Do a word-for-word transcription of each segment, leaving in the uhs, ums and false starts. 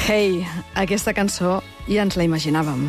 Hey, aquesta cançó ja ens la imaginàvem.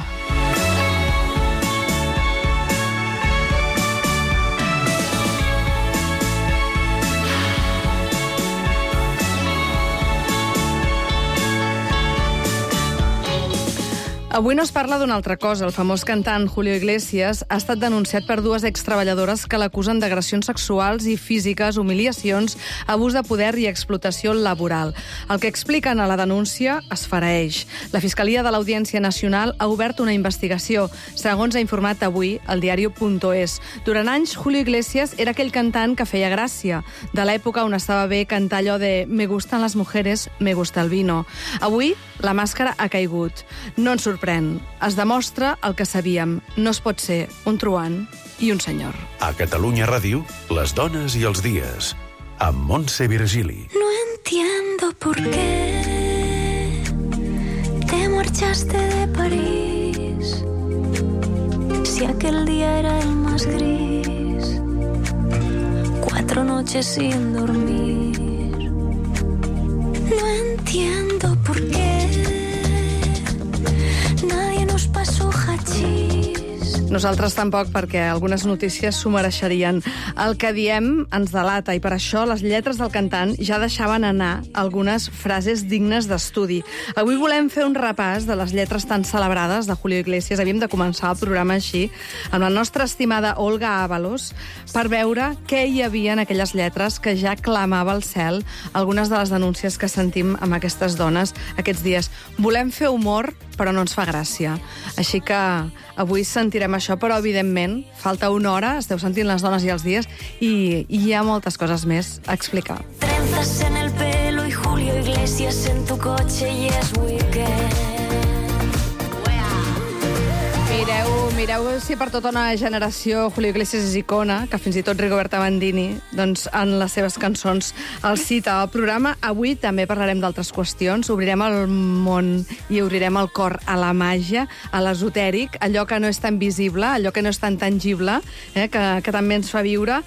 Avui no es parla d'una altra cosa. El famós cantant Julio Iglesias ha estat denunciat per dues extreballadores que l'acusen d'agressions sexuals i físiques, humiliacions, abús de poder i explotació laboral. El que expliquen a la denúncia es fareix. La Fiscalia de l'Audiència Nacional ha obert una investigació, segons ha informat avui el diario punto es. Durant anys, Julio Iglesias era aquell cantant que feia gràcia, de l'època on estava bé cantar allò de «Me gustan las mujeres, me gusta el vino». Avui, la màscara ha caigut. No ens sorprèn. Es demostra el que sabíem. No es pot ser un truant i un senyor. A Catalunya Ràdio, les dones i els dies. Amb Montse Virgili. No entiendo por qué te marchaste de París, si aquel día era el más gris, cuatro noches sin dormir. No entiendo por qué nadie nos pasó hachís. Nosaltres tampoc, perquè algunes notícies s'ho mereixerien. El que diem ens delata, i per això les lletres del cantant ja deixaven anar algunes frases dignes d'estudi. Avui volem fer un repàs de les lletres tan celebrades de Julio Iglesias. Havíem de començar el programa així, amb la nostra estimada Olga Ábalos, per veure què hi havia en aquelles lletres que ja clamava al cel algunes de les denúncies que sentim amb aquestes dones aquests dies. Volem fer humor, però no ens fa gràcia. Així que avui sentirem això, però evidentment falta una hora, esteu sentint les dones i els dies, i, i hi ha moltes coses més a explicar. Trenzas en el pelo y Julio Iglesias en tu coche y es weekend. Mireu, mireu si per tota una generació Julio Iglesias és icona, que fins i tot Rigoberta Bandini, doncs, en les seves cançons el cita al programa. Avui també parlarem d'altres qüestions, obrirem el món i obrirem el cor a la màgia, a l'esotèric, allò que no és tan visible, allò que no és tan tangible, eh, que, que també ens fa viure,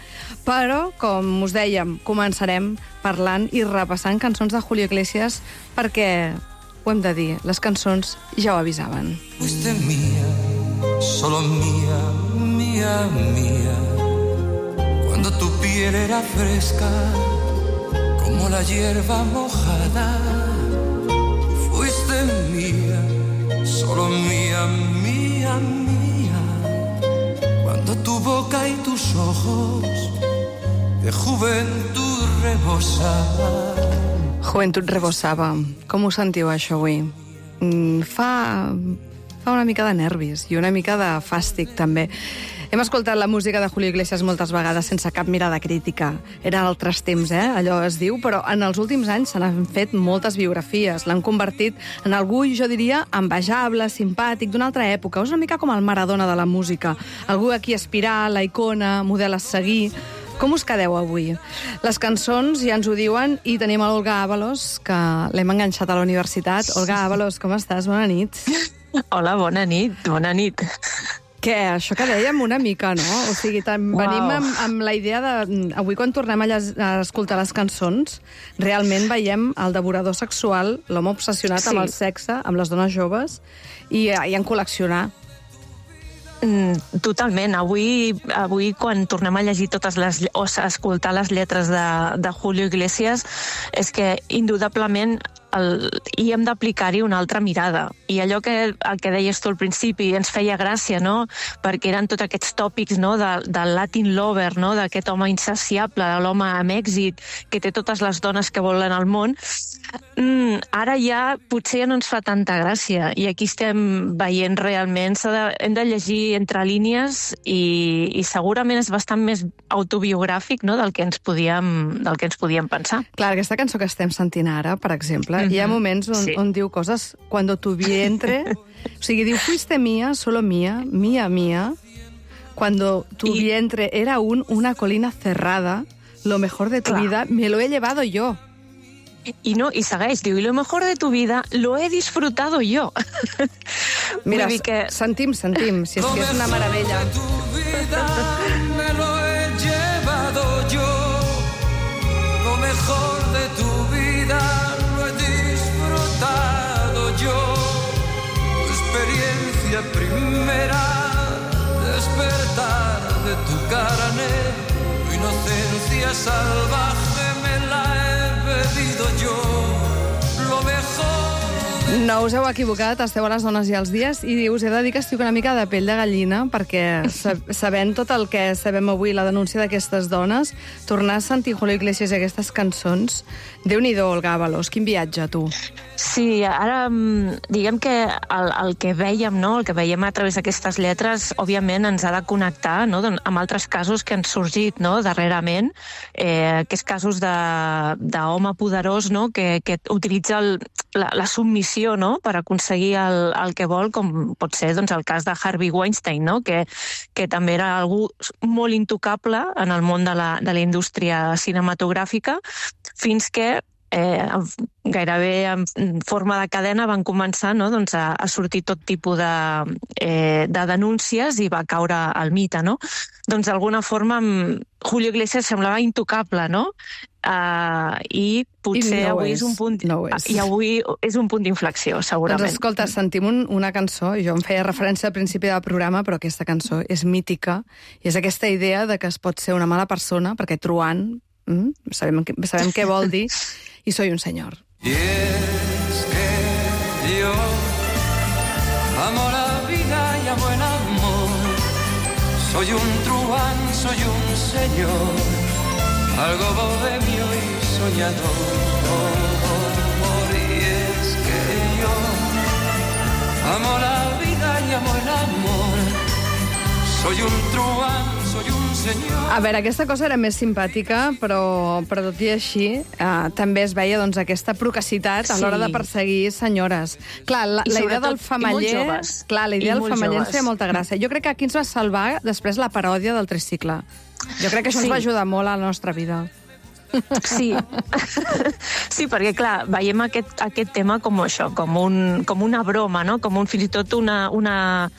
però, com us dèiem, començarem parlant i repassant cançons de Julio Iglesias perquè, ho hem de dir, les cançons ja ho avisaven. Fuiste mía, solo mía, mía, mía, cuando tu piel era fresca como la hierba mojada. Fuiste mía, solo mía, mía, mía, cuando tu boca y tus ojos de juventud rebosaban. Joventut rebossava. Com ho sentiu, això, avui? Mm, fa, fa una mica de nervis i una mica de fàstic, també. Hem escoltat la música de Julio Iglesias moltes vegades sense cap mirada crítica. Eren altres temps, eh? Allò es diu, però en els últims anys se n'han fet moltes biografies. L'han convertit en algú, jo diria, envejable, simpàtic, d'una altra època. És una mica com el Maradona de la música. Algú a qui aspirar, la icona, model a seguir. Com us quedeu avui? Les cançons ja ens ho diuen i tenim l'Olga Ábalos, que l'hem enganxat a la universitat. Olga Ábalos, com estàs? Bona nit. Hola, bona nit, bona nit. Què? Això que dèiem una mica, no? O sigui, tam, wow. venim amb, amb la idea de... Avui, quan tornem a, lles, a escoltar les cançons, realment veiem el devorador sexual, l'home obsessionat sí. amb el sexe, amb les dones joves, i, i en col·leccionar. Totalment. Avui, avui quan tornem a llegir totes les... o a escoltar les lletres de, de Julio Iglesias, és que, indudablement, el, hi hem d'aplicar-hi una altra mirada. I allò que, el que deies tu al principi ens feia gràcia, no?, perquè eren tots aquests tòpics, no?, del de Latin lover, no?, d'aquest home insaciable, de l'home amb èxit, que té totes les dones que volen al món. Mm, ara ja potser ja no ens fa tanta gràcia. I aquí estem veient realment... De, hem de llegir entre línies i, i segurament és bastant més autobiogràfic, no?, del que ens podíem, del que ens podíem pensar. Clar, aquesta cançó que estem sentint ara, per exemple, mm-hmm. hi ha moments on, sí. on diu coses cuando tu vientre... O sigui, diu, fuiste mía, solo mía, mía, mía, cuando tu I... vientre era un, una colina cerrada, lo mejor de tu Clar. vida me lo he llevado yo. I no, i segueix, diu, y lo mejor de tu vida lo he disfrutado yo. Mira, que... sentim, sentim, si és que és una meravella. Lo mejor de tu vida me lo he llevado yo. Lo mejor de tu vida lo he disfrutado verá despertar de tu carne, tu inocencia salvaje me la he bebido yo, lo mejor. No us heu equivocat, esteu a les dones i els dies, i us he de dir que estic una mica de pell de gallina, perquè sabent tot el que sabem avui, la denúncia d'aquestes dones, tornar a sentir Julio Iglesias i aquestes cançons, Déu-n'hi-do, Olga Ábalos, quin viatge, tu. Sí, ara diguem que el, el que veiem, no? el que veiem a través d'aquestes lletres, òbviament ens ha de connectar, no? amb altres casos que han sorgit, no? darrerament, eh, aquests casos d'home poderós, no? que, que utilitza el, la, la submissió, no? per aconseguir el, el que vol, com pot ser doncs, el cas de Harvey Weinstein, no? que, que també era algú molt intocable en el món de la, de la indústria cinematogràfica, fins que eh, gairebé en forma de cadena van començar, no? doncs a, a sortir tot tipus de, eh, de denúncies i va caure el mite. No? Doncs d'alguna forma Julio Iglesias semblava intocable, no? Uh, i potser I no avui és. és un punt no és. i avui és un punt d'inflexió, segurament. Doncs escolta, sentim un, una cançó, jo em feia referència al principi del programa, però aquesta cançó és mítica, i és aquesta idea de que es pot ser una mala persona, perquè truant, mm, sabem, sabem què vol dir, y soy un señor. Y es que yo amo la vida y amo el amor, soy un truán, soy un señor, algo bohemio y soñador. Y es que yo amo la vida y amo el amor, soy un truán, soy un senyor. A veure, aquesta cosa era més simpàtica, però, però tot i així eh, també es veia doncs, aquesta procacitat a l'hora Sí. de perseguir senyores. Clar, la, I la idea sobretot, del i molt femaller... joves. Clar, la idea I del molt femaller ens joves. feia molta gràcia. Jo crec que aquí ens va salvar després la paròdia del tricicle. Jo crec que això Sí. ens va ajudar molt a la nostra vida. Sí. Sí, perquè, clar, veiem aquest, aquest tema com això, com, un, com una broma, no? Com un, fins i tot una... una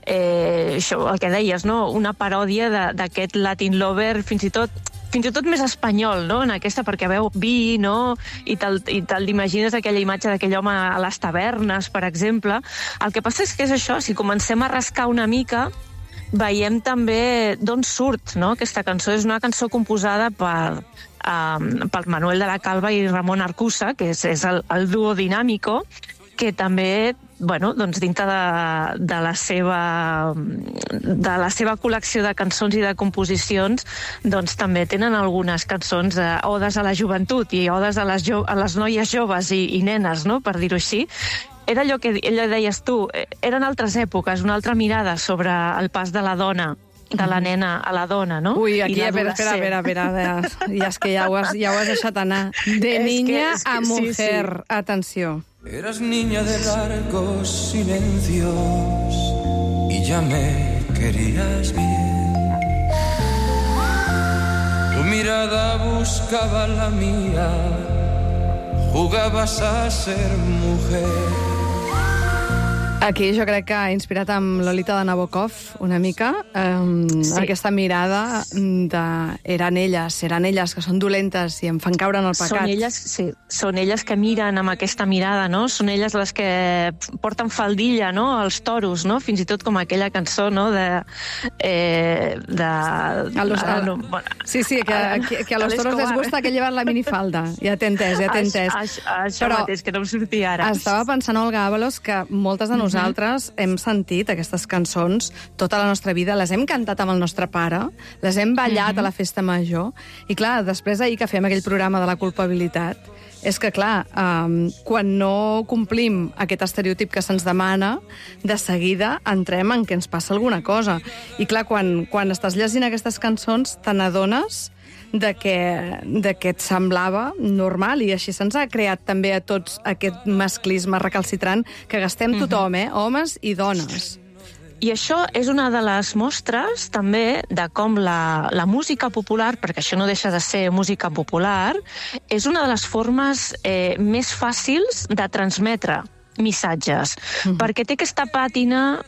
eh, això, el que deies, no? Una paròdia de- d'aquest Latin Lover, fins i tot fins i tot més espanyol, no?, en aquesta, perquè veu vi, no?, i te'l i te l'imagines aquella imatge d'aquell home a les tavernes, per exemple. El que passa és que és això, si comencem a rascar una mica, veiem també d'on surt, no?, aquesta cançó. És una cançó composada per, um, per Manuel de la Calva i Ramon Arcusa, que és, és el, el duo Dinámico, que també, bueno, doncs dintre de, de, la seva, de la seva col·lecció de cançons i de composicions, doncs també tenen algunes cançons, eh, odes a la joventut i odes a les, jo, a les noies joves i, i nenes, no?, per dir-ho així. Era allò que ella deies tu, eren altres èpoques, una altra mirada sobre el pas de la dona, de la nena a la dona, no? Ui, aquí, I espera, espera, espera, espera, espera. Ja és que ja ho has, ja ho has deixat anar. De És niña que- és que- a sí, mujer. sí. Atenció. Eras niña de largos silencios y ya me querías bien. Tu mirada buscaba la mía, jugabas a ser mujer. Aquí jo crec que ha inspirat amb Lolita de Nabokov una mica, um, Sí. aquesta mirada de eren elles, eren elles que són dolentes i em fan caure en el pecat. Són elles, sí, són elles que miren amb aquesta mirada, no? Són elles les que porten faldilla, no?, als toros, no? Fins i tot com aquella cançó, no?, de... Eh, de A los, ara a, no, bueno, sí, sí, que, a- que, que a los a toros les l'Escobar. gusta que llevan la minifalda. Ja t'he entès, ja t'he entès. Això, això Però mateix, que no em sortia ara. estava pensant, Olga Ábalos, que moltes de nosaltres hem sentit aquestes cançons tota la nostra vida, les hem cantat amb el nostre pare, les hem ballat a la festa major, i clar, després ahir que fem aquell programa de la culpabilitat, és que, clar, um, quan no complim aquest estereotip que se'ns demana, de seguida entrem en què ens passa alguna cosa. I clar, quan, quan estàs llegint aquestes cançons, te n'adones de que, de que et semblava normal, i així se'ns ha creat també a tots aquest masclisme recalcitrant que gastem tothom, eh? Homes i dones. I això és una de les mostres també de com la, la música popular, perquè això no deixa de ser música popular, és una de les formes eh, més fàcils de transmetre missatges, mm-hmm. perquè té aquesta pàtina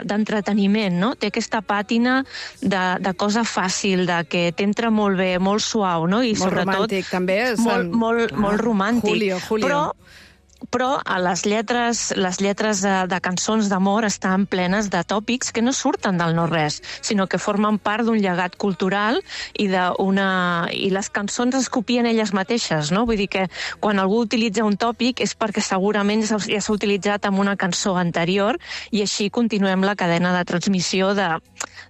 d'entreteniment, no? Té aquesta pàtina de, de cosa fàcil, de que t'entra molt bé, molt suau, no? I Molt sobretot romàntic, també. molt, molt, Clar, molt romàntic. Julio, Julio. Però però a les lletres, les lletres de, de cançons d'amor estan plenes de tòpics que no surten del no-res, sinó que formen part d'un llegat cultural i, una, i les cançons es copien elles mateixes, no? Vull dir que quan algú utilitza un tòpic és perquè segurament ja s'ha utilitzat en una cançó anterior i així continuem la cadena de transmissió de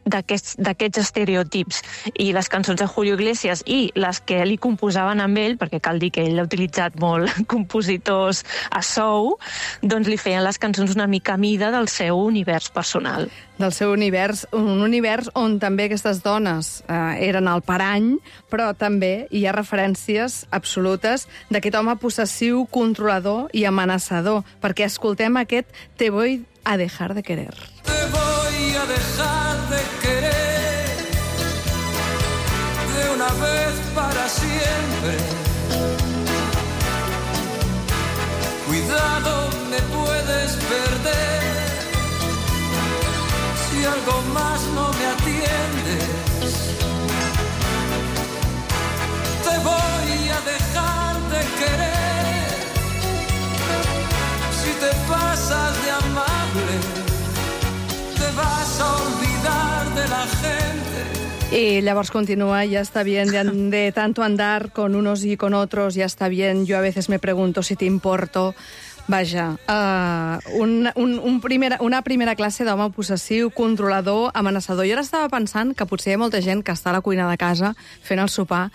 d'aquests estereotips. I les cançons de Julio Iglesias i les que li composaven amb ell, perquè cal dir que ell ha utilitzat molt compositors a sou, doncs li feien les cançons una mica a mida del seu univers personal. Del seu univers, un univers on també aquestes dones eh, eren el parany, però també hi ha referències absolutes d'aquest home possessiu, controlador i amenaçador, perquè escoltem aquest Te voy a dejar de querer. Te voy a dejar de querer de una vez para siempre. Cuidado, me puedes perder si algo más no me atiendes. Te voy a dejar de querer si te pasas de amable. Te vas a olvidar de la gente. Y llavors continúa, ya está bien de, de tanto andar con unos y con otros, ya está bien, yo a veces me pregunto si te importo. Vaja, uh, un, un, un primera, una primera classe d'home possessiu, controlador, amenaçador. Jo ara estava pensant que potser hi ha molta gent que està a la cuina de casa fent el sopar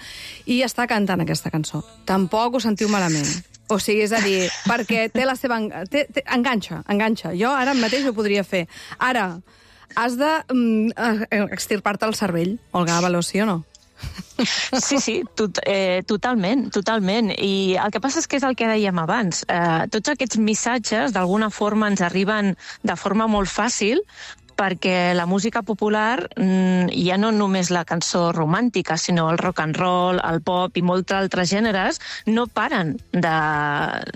i està cantant aquesta cançó. Tampoc ho sentiu malament. O sigui, és a dir, perquè té la seva... Té, té, enganxa, enganxa. Jo ara mateix ho podria fer. Ara, has de um, extirpar-te el cervell, Olga Ábalos, sí o no? Sí, sí, tot, eh, totalment, totalment. I el que passa és que és el que dèiem abans. Eh, tots aquests missatges, d'alguna forma, ens arriben de forma molt fàcil, perquè la música popular, ja no només la cançó romàntica, sinó el rock and roll, el pop i molts altres gèneres, no paren de,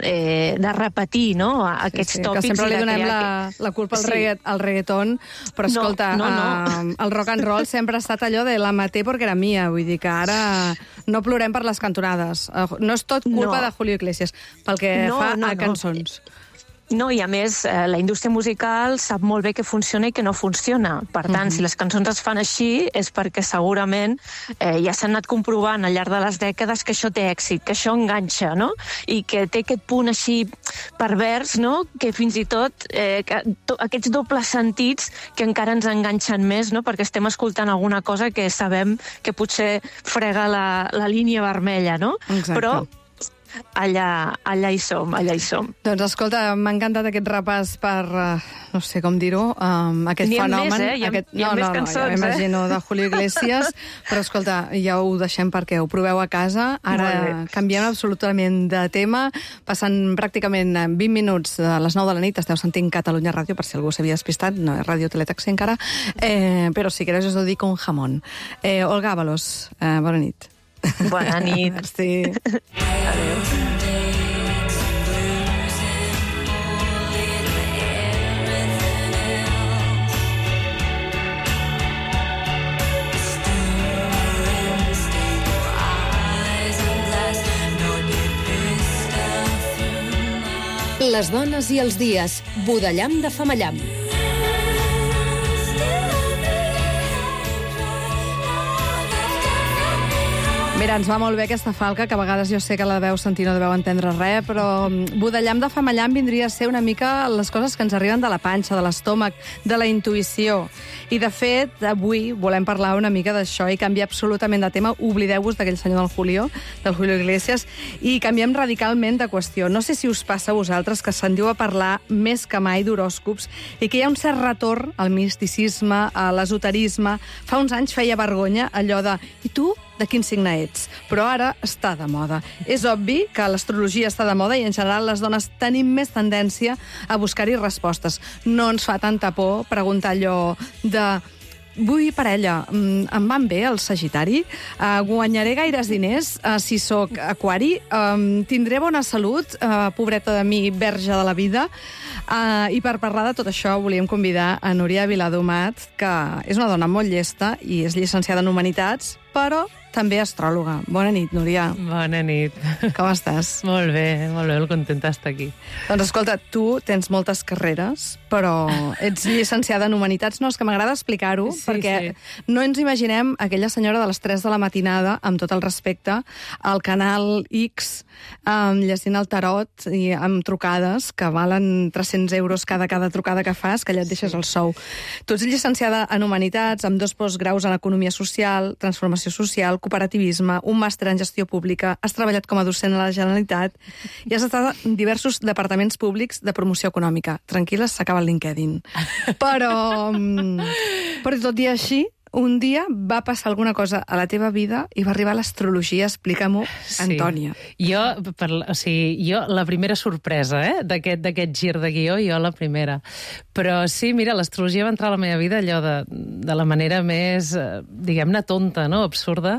eh, de repetir, no?, aquests sí, sí, tòpics. Que sempre li donem la, la culpa al, sí. reggaet, al reggaeton, però escolta, no, no, no. Eh, el rock and roll sempre ha estat allò de la maté perquè era mia, vull dir que ara no plorem per les cantonades. No és tot culpa no. de Julio Iglesias, pel que no, fa no, a cançons. No. No, i a més, eh, la indústria musical sap molt bé què funciona i què no funciona. Per tant, uh-huh. si les cançons es fan així és perquè segurament eh, ja s'han anat comprovant al llarg de les dècades que això té èxit, que això enganxa, no? I que té aquest punt així pervers, no?, que fins i tot eh, que, to, aquests dobles sentits que encara ens enganxen més, no?, perquè estem escoltant alguna cosa que sabem que potser frega la, la línia vermella, no? Exacte. Però allà, allà hi som, allà hi som. Doncs escolta, m'ha encantat aquest repàs per, uh, no sé com dir-ho, um, aquest fenomen. Més, eh? Hi ha, aquest... hi ha no, més no, cançons, no, ja m'imagino, eh? de Julio Iglesias, però escolta, ja ho deixem perquè ho proveu a casa. Ara canviem absolutament de tema, passant pràcticament vint minuts de les nou de la nit, esteu sentint Catalunya Ràdio, per si algú s'havia despistat, no és Ràdio Teletaxi encara, eh, però si queréis os lo dic con jamón. Eh, Olga Ábalos, eh, bona nit. Bona nit. Sí. Adéu. Les dones i els dies. Budellam de Femallam. Mira, ens va molt bé aquesta falca, que a vegades jo sé que la deveu sentir, no deveu entendre res, però budellam de femallam vindria a ser una mica les coses que ens arriben de la panxa, de l'estómac, de la intuïció. I, de fet, avui volem parlar una mica d'això i canviar absolutament de tema. Oblideu-vos d'aquell senyor del Julio, del Julio Iglesias, i canviem radicalment de qüestió. No sé si us passa a vosaltres que se'n diu a parlar més que mai d'horòscops i que hi ha un cert retorn al misticisme, a l'esoterisme. Fa uns anys feia vergonya allò de... I tu? De quin signe ets, però ara està de moda. És obvi que l'astrologia està de moda i en general les dones tenim més tendència a buscar-hi respostes. No ens fa tanta por preguntar allò de... Vull parella, em van bé el Sagitari? Uh, guanyaré gaires diners uh, si sóc aquari? Um, tindré bona salut? Uh, pobreta de mi, verge de la vida? Uh, I per parlar de tot això volíem convidar a Núria Viladomat, que és una dona molt llesta i és llicenciada en Humanitats, però també astròloga. Bona nit, Núria. Bona nit. Com estàs? Molt bé, molt bé, molt contenta d'estar aquí. Doncs escolta, tu tens moltes carreres, però ets llicenciada en Humanitats. No, és que m'agrada explicar-ho, Sí, perquè sí. no ens imaginem aquella senyora de les tres de la matinada, amb tot el respecte, al canal X, um, llegint el tarot i amb trucades que valen tres-cents euros cada cada trucada que fas, que allà et deixes el sou. Tu ets llicenciada en Humanitats, amb dos postgraus en Economia Social, Transformació Social, Cooperativisme, un màster en Gestió Pública, has treballat com a docent a la Generalitat i has estat en diversos departaments públics de promoció econòmica. Tranquil·la, s'acaba el LinkedIn. Però, però tot i així, un dia va passar alguna cosa a la teva vida i va arribar l'astrologia. Explica-m'ho, Antònia. Sí. Jo, per, o sigui, jo, la primera sorpresa, eh, d'aquest d'aquest gir de guió, jo la primera. Però sí, mira, l'astrologia va entrar a la meva vida allò de, de la manera més, eh, diguem-ne, tonta, no?, absurda,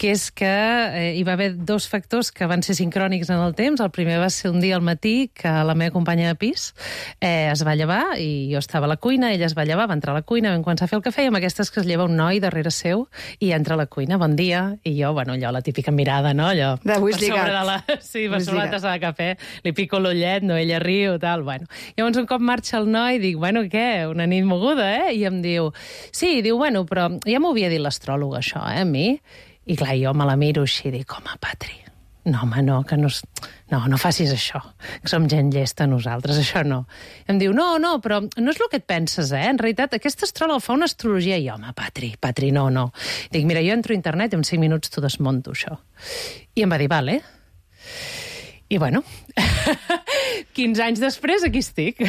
que és que eh, hi va haver dos factors que van ser sincrònics en el temps. El primer va ser un dia al matí que la meva companya de pis eh, es va llevar i jo estava a la cuina, ella es va llevar, va entrar a la cuina, vam començar a fer el cafè i amb aquestes que es lleva un noi darrere seu i entra a la cuina, bon dia, i jo, bueno, allò, la típica mirada, no?, allò, D'avui és per sobre lligat. de la... Sí, per Avui és sobre la lligat. tassa de cafè, li pico l'ullet, no, ella riu, tal, bueno. Llavors, un cop marxa el noi, dic, bueno, què, una nit moguda, eh? I em diu, sí, diu, bueno, però ja m'ho havia dit l'astròloga, això, eh, a mi? I clar, jo me la miro així, dic, home, Patri, no, home, no, que no... No, no facis això, que som gent llesta nosaltres, això no. Em diu, no, no, però no és el que et penses, eh? En realitat, aquesta astròloga fa una astrologia i, home, Patri, Patri, no, no. Dic, mira, jo entro a internet i en cinc minuts t'ho desmonto, això. I em va dir, vale. I, bueno, quinze anys després aquí estic.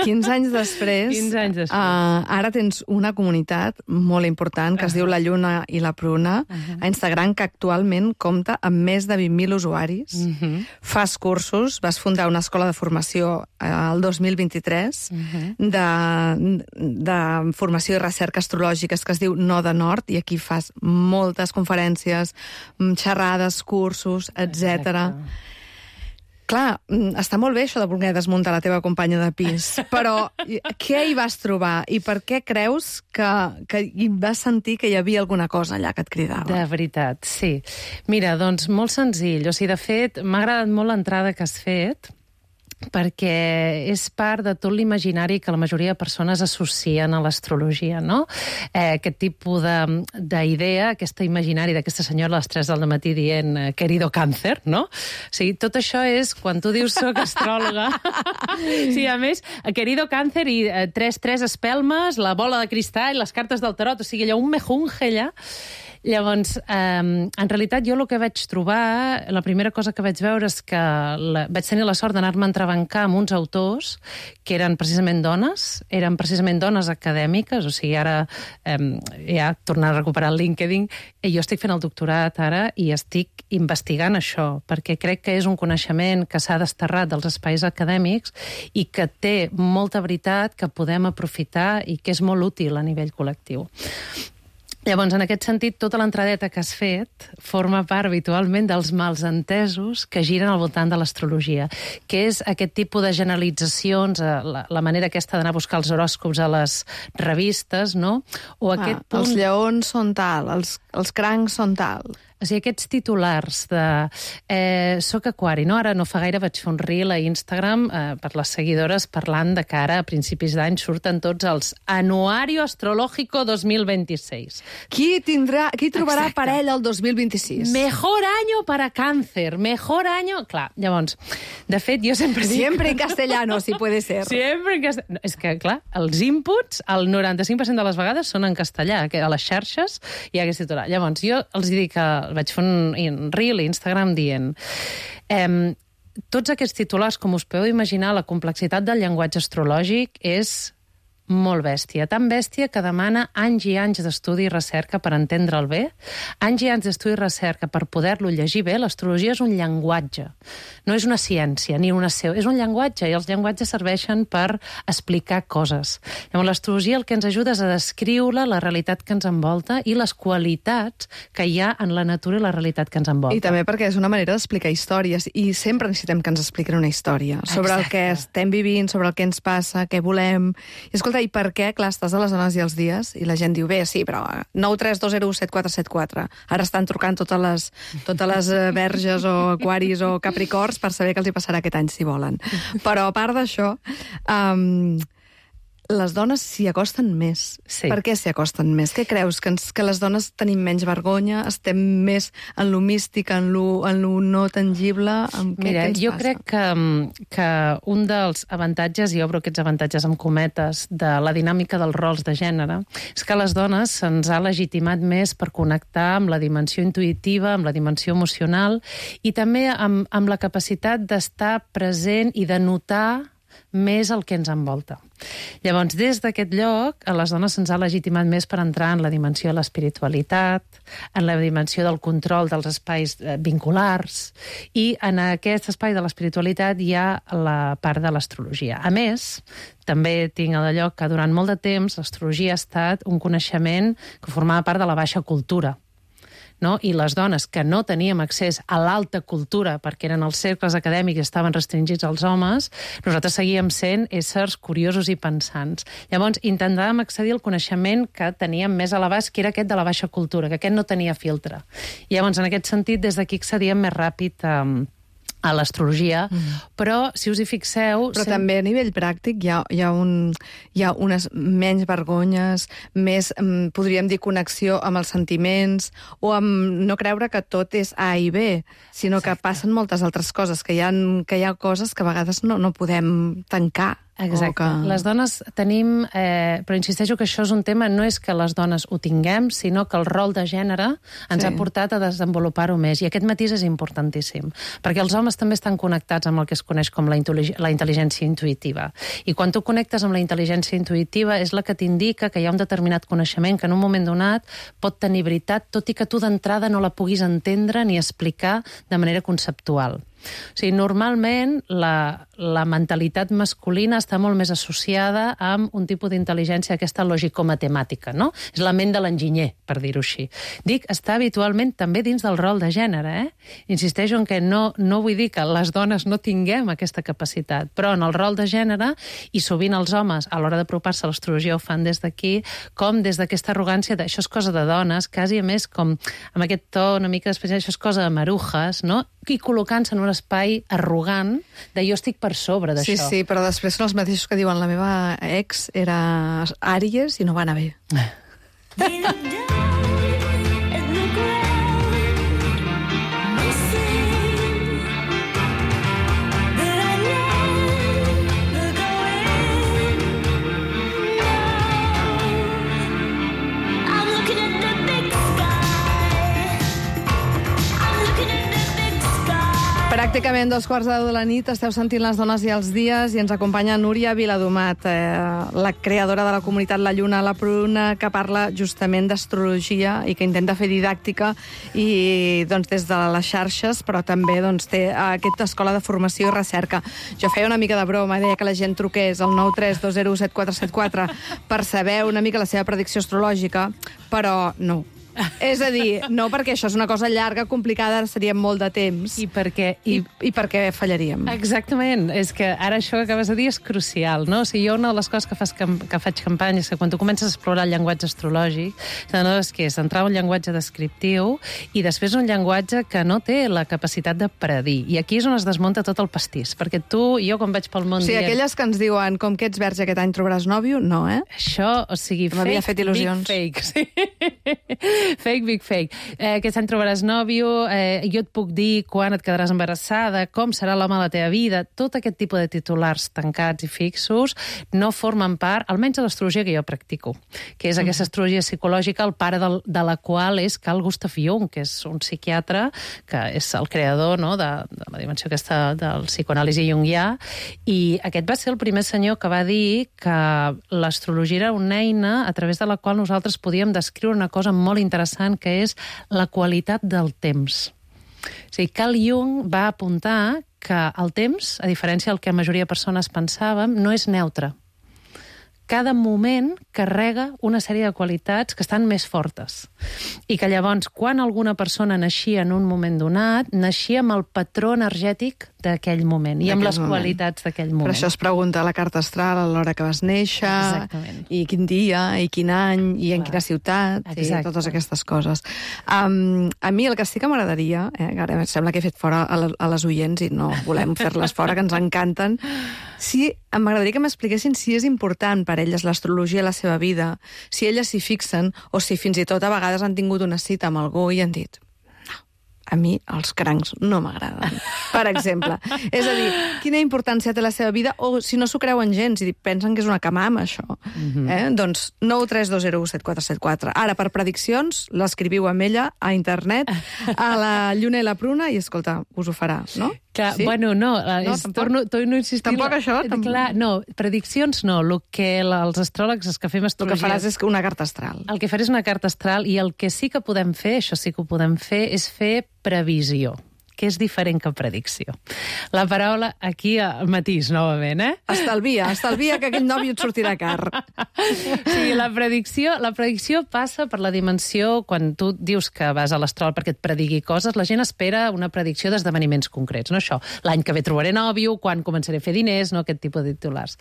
quinze anys després, quinze anys després. Uh, ara tens una comunitat molt important que es diu La Lluna i la Pruna, a Instagram, que actualment compta amb més de vint mil usuaris. Uh -huh. Fas cursos, vas fundar una escola de formació el dos mil vint-i-tres Uh -huh. de, de formació i recerca astrològiques que es diu Noda Nord, i aquí fas moltes conferències, xerrades, cursos, etcètera. Clar, està molt bé això de voler desmuntar la teva companya de pis, però què hi vas trobar i per què creus que, que hi vas sentir que hi havia alguna cosa allà que et cridava? De veritat, sí. Mira, doncs molt senzill. O sigui, de fet, m'ha agradat molt l'entrada que has fet, perquè és part de tot l'imaginari que la majoria de persones associen a l'astrologia, no? Eh, aquest tipus d'idea, aquesta imaginari d'aquesta senyora a les tres del matí dient querido càncer, no? O sigui, tot això és, quan tu dius soc astròloga, sí, a més, querido càncer i eh, tres, tres espelmes, la bola de cristall, les cartes del tarot, o sigui, allò, un mejunge allà. Llavors, eh, en realitat, jo el que vaig trobar, la primera cosa que vaig veure és que la, vaig tenir la sort d'anar-me a entrebancar amb uns autors que eren precisament dones, eren precisament dones acadèmiques, o sigui, ara eh, ja tornar a recuperar el LinkedIn, i jo estic fent el doctorat ara i estic investigant això, perquè crec que és un coneixement que s'ha desterrat dels espais acadèmics i que té molta veritat que podem aprofitar i que és molt útil a nivell col·lectiu. Llavors, en aquest sentit, tota l'entradeta que has fet forma part habitualment dels malsentesos que giren al voltant de l'astrologia, que és aquest tipus de generalitzacions, la, la manera aquesta d'anar a buscar els horòscops a les revistes, no? O aquest ah, punt... Els lleons són tal, els, els crancs són tal. O sigui, aquests titulars de eh, soc aquari, no? Ara no fa gaire vaig fer un reel a Instagram eh, per les seguidores parlant de que ara a principis d'any surten tots els Anuario Astrológico dos mil vint-i-sis. Qui tindrà, qui trobarà Exacte. parella el dos mil vint-i-sis? Mejor año para cáncer, mejor año... Clar, llavors, de fet, jo sempre... Siempre en castellano, si puede ser. Sempre en castellà. És que, clar, els inputs, el noranta-cinc per cent de les vegades són en castellà, que a les xarxes hi ha aquest titular. Llavors, jo els dic que vaig fer un, un reel a Instagram dient eh, tots aquests titulars, com us podeu imaginar, la complexitat del llenguatge astrològic és molt bèstia. Tan bèstia que demana anys i anys d'estudi i recerca per entendre'l bé, anys i anys d'estudi i recerca per poder-lo llegir bé. L'astrologia és un llenguatge, no és una ciència ni una seu, és un llenguatge, i els llenguatges serveixen per explicar coses. Llavors, l'astrologia el que ens ajuda és a descriure la realitat que ens envolta i les qualitats que hi ha en la natura i la realitat que ens envolta. I també perquè és una manera d'explicar històries, i sempre necessitem que ens expliquin una història sobre Exacte. El que estem vivint, sobre el que ens passa, què volem. I escolta, i per què? Clar, estàs a les dones i els dies, i la gent diu, bé, sí, però nou tres dos zero set quatre set quatre. Ara estan trucant totes les, totes les verges o aquaris o capricorns per saber què els hi passarà aquest any, si volen. Però a part d'això, um, les dones s'hi acosten més. Sí. Per què s'hi acosten més? Què creus? Que, ens, que les dones tenim menys vergonya? Estem més en lo místic, en lo, en lo no tangible? En què, Mira, què ens jo passa? crec que, que un dels avantatges, i obro aquests avantatges amb cometes, de la dinàmica dels rols de gènere, és que a les dones se'ns ha legitimat més per connectar amb la dimensió intuïtiva, amb la dimensió emocional, i també amb, amb la capacitat d'estar present i de notar més el que ens envolta. Llavors, des d'aquest lloc, a les dones se'ns ha legitimat més per entrar en la dimensió de l'espiritualitat, en la dimensió del control dels espais vinculars, i en aquest espai de l'espiritualitat hi ha la part de l'astrologia. A més, també tinc el lloc que durant molt de temps l'astrologia ha estat un coneixement que formava part de la baixa cultura. No? I les dones que no teníem accés a l'alta cultura perquè eren els cercles acadèmics i estaven restringits als homes, nosaltres seguíem sent éssers curiosos i pensants. Llavors, intentàvem accedir al coneixement que teníem més a l'abast, que era aquest de la baixa cultura, que aquest no tenia filtre. I llavors, en aquest sentit, des d'aquí accedíem més ràpid a... a l'astrologia, mm. però si us hi fixeu... Però sem... també a nivell pràctic hi ha, hi ha, un, hi ha unes menys vergonyes, més, podríem dir, connexió amb els sentiments, o amb no creure que tot és A i B, sinó Exacte. Que passen moltes altres coses, que hi ha, que hi ha coses que a vegades no, no podem tancar. Exacte. Que... Les dones tenim... Eh, però insisteixo que això és un tema, no és que les dones ho tinguem, sinó que el rol de gènere ens sí. ha portat a desenvolupar-ho més. I aquest matís és importantíssim, perquè els homes també estan connectats amb el que es coneix com la, la intel·ligència intuïtiva. I quan tu connectes amb la intel·ligència intuïtiva és la que t'indica que hi ha un determinat coneixement que en un moment donat pot tenir veritat, tot i que tu d'entrada no la puguis entendre ni explicar de manera conceptual. O sigui, normalment la, la mentalitat masculina està molt més associada amb un tipus d'intel·ligència, aquesta lògico-matemàtica, no? És la ment de l'enginyer, per dir-ho així. Dic, està habitualment també dins del rol de gènere, eh? Insisteixo en que no, no vull dir que les dones no tinguem aquesta capacitat, però en el rol de gènere, i sovint els homes, a l'hora d'apropar-se a l'astrologia, ho fan des d'aquí, com des d'aquesta arrogància de això és cosa de dones, quasi a més com amb aquest to una mica especial, això és cosa de marujes, no? I col·locant-se en un espai arrogant de jo estic per sobre d'això. Sí, sí, però després són els mateixos que diuen la meva ex era Àries i no va anar bé. Pràcticament dos quarts de deu de la nit esteu sentint Les dones i els dies i ens acompanya Núria Viladomat, eh, la creadora de la comunitat La Lluna a la Pruna, que parla justament d'astrologia i que intenta fer didàctica i doncs, des de les xarxes, però també doncs, té aquesta escola de formació i recerca. Jo feia una mica de broma, deia que la gent truqués al nou tres dos zero set quatre set quatre per saber una mica la seva predicció astrològica, però no. És a dir, no perquè això és una cosa llarga, complicada, seria molt de temps. I perquè... I, i perquè fallaríem. Exactament. És que ara això que acabes de dir és crucial, no? O sigui, jo una de les coses que, fas, que faig campanya és que quan tu comences a explorar el llenguatge astrològic, no és que és entrar un llenguatge descriptiu i després un llenguatge que no té la capacitat de predir. I aquí és on es desmunta tot el pastís, perquè tu i jo quan vaig pel món o sigui, dient... aquelles que ens diuen com que ets verge aquest any trobaràs nòvio, no, eh? Això, o sigui, M'havia fet il·lusions. Big fake, sí. Fake, big fake. Eh, aquest any trobaràs nòvio, eh, jo et puc dir quan et quedaràs embarassada, com serà l'home de la teva vida. Tot aquest tipus de titulars tancats i fixos no formen part, almenys de l'astrologia que jo practico, que és aquesta astrologia psicològica, el pare del, de la qual és Carl Gustav Jung, que és un psiquiatre, que és el creador, no?, de, de la dimensió aquesta del psicoanàlisi junguià, i aquest va ser el primer senyor que va dir que l'astrologia era una eina a través de la qual nosaltres podíem descriure una cosa molt interessant, que és la qualitat del temps. O sigui, Carl Jung va apuntar que el temps, a diferència del que la majoria de persones pensàvem, no és neutre. Cada moment carrega una sèrie de qualitats que estan més fortes. I que llavors, quan alguna persona naixia en un moment donat, naixia amb el patró energètic d'aquell moment i amb les moment. qualitats d'aquell moment. Per això es pregunta a la carta astral a l'hora que vas néixer, Exactament. i quin dia, i quin any, i en Clar. quina ciutat, Exacte. i totes aquestes coses. Um, a mi el que sí que m'agradaria, eh, ara em sembla que he fet fora a, la, a les oients i no volem fer-les fora, que ens encanten, sí, m'agradaria que m'expliquessin si és important per elles l'astrologia a la seva vida, si elles s'hi fixen, o si fins i tot a vegades han tingut una cita amb algú i han dit a mi els crancs no m'agraden, per exemple. És a dir, quina importància té la seva vida, o si no s'ho creuen gens i pensen que és una camama, això. Mm-hmm. eh? Doncs nou tres dos zero u set quatre set quatre. Ara, per prediccions, l'escriviu amb ella a internet, a la Lluna i la Pruna, i, escolta, us ho farà, no? Clar, sí? bueno, no, No, és, tampoc? torno, torno a insistir... Tampoc això? Tampoc? Clar, no, prediccions no. El que la, els astròlegs, els que fem El astrologia... que faràs és una carta astral. El que faré és una carta astral, i el que sí que podem fer, això sí que ho podem fer, és fer previsió, que és diferent que predicció. La paraula aquí, a matís, novament, eh? Estalvia, estalvia que aquell nòvio et sortirà car. Sí, la predicció, la predicció passa per la dimensió, quan tu dius que vas a l'astròleg perquè et predigui coses, la gent espera una predicció d'esdeveniments concrets, no això. L'any que ve trobaré nòvio, quan començaré a fer diners, no aquest tipus de titulars.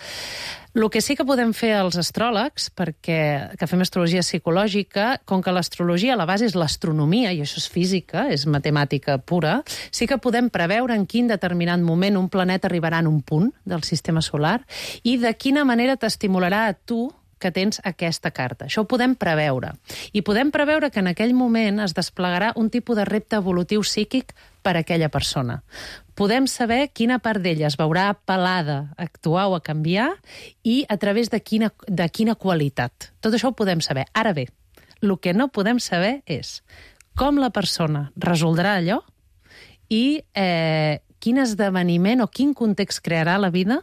El que sí que podem fer els astròlegs, perquè que fem astrologia psicològica, com que l'astrologia a la base és l'astronomia, i això és física, és matemàtica pura, sí que podem preveure en quin determinat moment un planeta arribarà en un punt del sistema solar i de quina manera t'estimularà a tu que tens aquesta carta. Això ho podem preveure. I podem preveure que en aquell moment es desplegarà un tipus de repte evolutiu psíquic per a aquella persona. Podem saber quina part d'ella es veurà apel·lada a actuar o a canviar i a través de quina, de quina qualitat. Tot això ho podem saber. Ara bé, el que no podem saber és com la persona resoldrà allò i eh, quin esdeveniment o quin context crearà la vida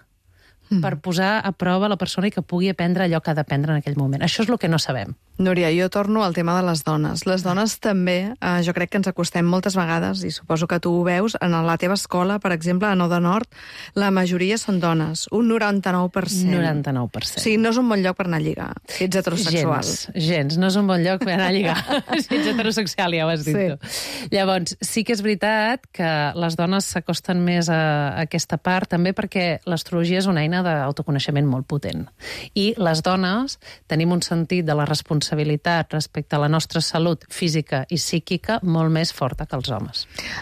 per posar a prova la persona i que pugui aprendre allò que ha d'aprendre en aquell moment. Això és el que no sabem. Núria, jo torno al tema de les dones. Les dones també, eh, jo crec que ens acostem moltes vegades, i suposo que tu ho veus, en la teva escola, per exemple, a Nou de Nord, la majoria són dones, un noranta-nou per cent. noranta-nou per cent. O sigui, no és un bon lloc per anar a lligar, si ets heterosexual. Gens, gens. No és un bon lloc per anar a lligar. Si ets heterosexual, ja ho has dit Sí. tu. Llavors, sí que és veritat que les dones s'acosten més a, a aquesta part, també perquè l'astrologia és una eina d'autoconeixement molt potent. I les dones tenim un sentit de la responsabilitat respecte a la nostra salut física i psíquica molt més forta que els homes.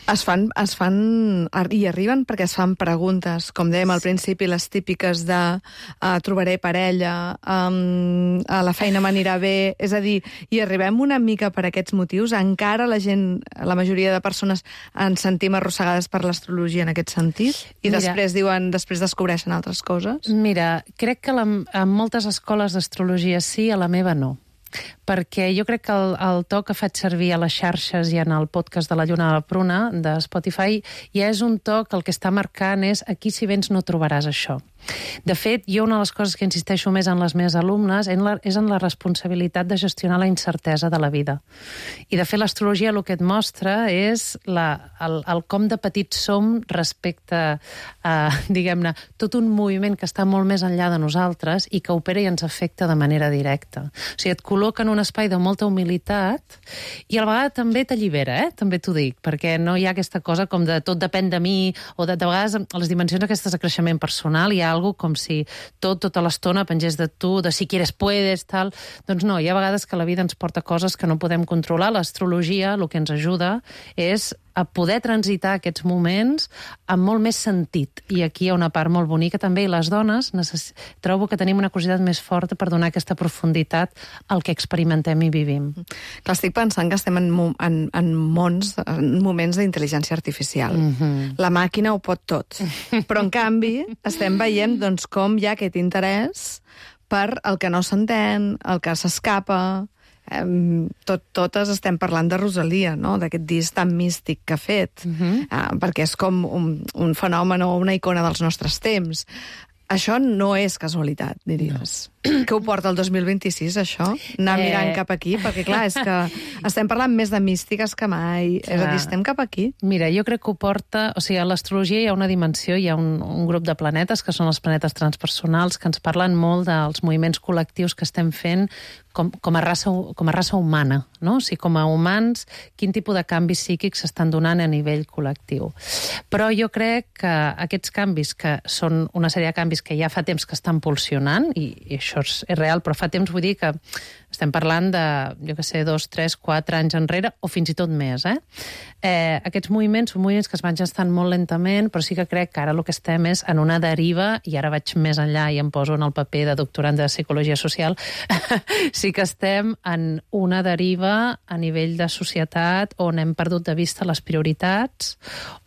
Es fan, es fan, i arriben perquè es fan preguntes, com dèiem al principi, les típiques de uh, trobaré parella, um, a la feina m'anirà bé, és a dir, i arribem una mica per aquests motius, encara la gent, la majoria de persones ens sentim arrossegades per l'astrologia en aquest sentit, i Mira, després diuen, després descobreixen altres coses. Mira, crec que la, en moltes escoles d'astrologia sí, a la meva no. Perquè jo crec que el, el to que faig servir a les xarxes i en el podcast de la Lluna de la Pruna, de Spotify, ja és un to que el que està marcant és aquí si vens no trobaràs això. De fet, jo una de les coses que insisteixo més en les meves alumnes en la, és en la responsabilitat de gestionar la incertesa de la vida. I de fet l'astrologia el que et mostra és la, el, el com de petits som respecte a, diguem-ne, tot un moviment que està molt més enllà de nosaltres i que opera i ens afecta de manera directa. O sigui, et col·loca en un espai de molta humilitat i a la vegada també t'allibera, eh? També t'ho dic, perquè no hi ha aquesta cosa com de tot depèn de mi, o de, de vegades a les dimensions aquestes de creixement personal hi ha algo com si tot, tota l'estona pengés de tu, de si quieres puedes, tal. Doncs no, hi ha vegades que la vida ens porta coses que no podem controlar. L'astrologia el que ens ajuda és a poder transitar aquests moments amb molt més sentit. I aquí hi ha una part molt bonica també, i les dones necess... trobo que tenim una curiositat més forta per donar aquesta profunditat al que experimentem i vivim. Clar, estic pensant que estem en, en, en mons, en moments d'intel·ligència artificial. Mm-hmm. La màquina ho pot tot. Però, en canvi, estem veient doncs, com hi ha aquest interès per el que no s'entén, el que s'escapa. Um, tot, totes estem parlant de Rosalia, no? D'aquest disc tan místic que ha fet, uh-huh. uh, perquè és com un, un fenomen o una icona dels nostres temps. Això no és casualitat, diries. No. Què ho porta el dos mil vint-i-sis, això? Anar eh... mirant cap aquí? Perquè, clar, és que estem parlant més de místiques que mai. Clar. És a dir, estem cap aquí. Mira, jo crec que ho porta... O sigui, a l'astrologia hi ha una dimensió, hi ha un, un grup de planetes, que són els planetes transpersonals, que ens parlen molt dels moviments col·lectius que estem fent com, com, a raça, com a raça humana, no? O sigui, com a humans, quin tipus de canvis psíquics s'estan donant a nivell col·lectiu. Però jo crec que aquests canvis, que són una sèrie de canvis que ja fa temps que estan pulsionant, i, i això és, és real, però fa temps vull dir que estem parlant de, jo què sé, dos, tres, quatre anys enrere, o fins i tot més, eh? eh aquests moviments són moviments que es van gestant molt lentament, però sí que crec que ara el que estem és en una deriva, i ara vaig més enllà i em poso en el paper de doctorant de Psicologia Social, sí que estem en una deriva a nivell de societat on hem perdut de vista les prioritats,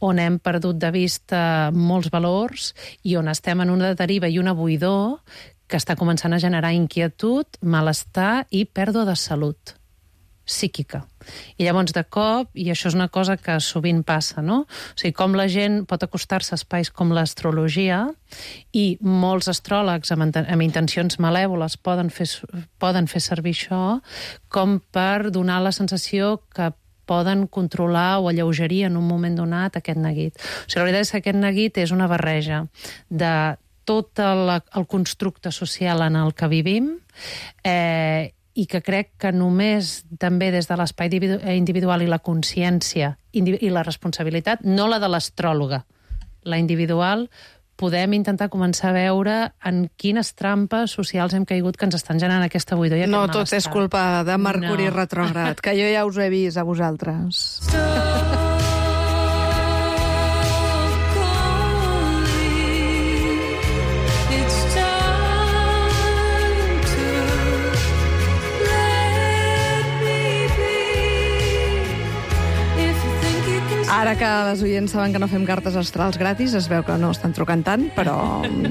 on hem perdut de vista molts valors, i on estem en una deriva i una buidor que està començant a generar inquietud, malestar i pèrdua de salut psíquica. I llavors, de cop, i això és una cosa que sovint passa, no? O sigui, com la gent pot acostar-se a espais com l'astrologia, i molts astròlegs amb, amb intencions malèvoles poden fer, poden fer servir això com per donar la sensació que poden controlar o alleugerir en un moment donat aquest neguit. O sigui, la veritat és que aquest neguit és una barreja de tot el, el constructe social en el que vivim, eh, i que crec que només també des de l'espai individual i la consciència i la responsabilitat, no la de l'astròloga, la individual, podem intentar començar a veure en quines trampes socials hem caigut que ens estan generant aquesta buidor i aquest no, malestar. No, tot és culpa de Mercuri no. retrògrad, que jo ja us he vist a vosaltres. Ara que les oients saben que no fem cartes astrals gratis, es veu que no estan trucant tant, però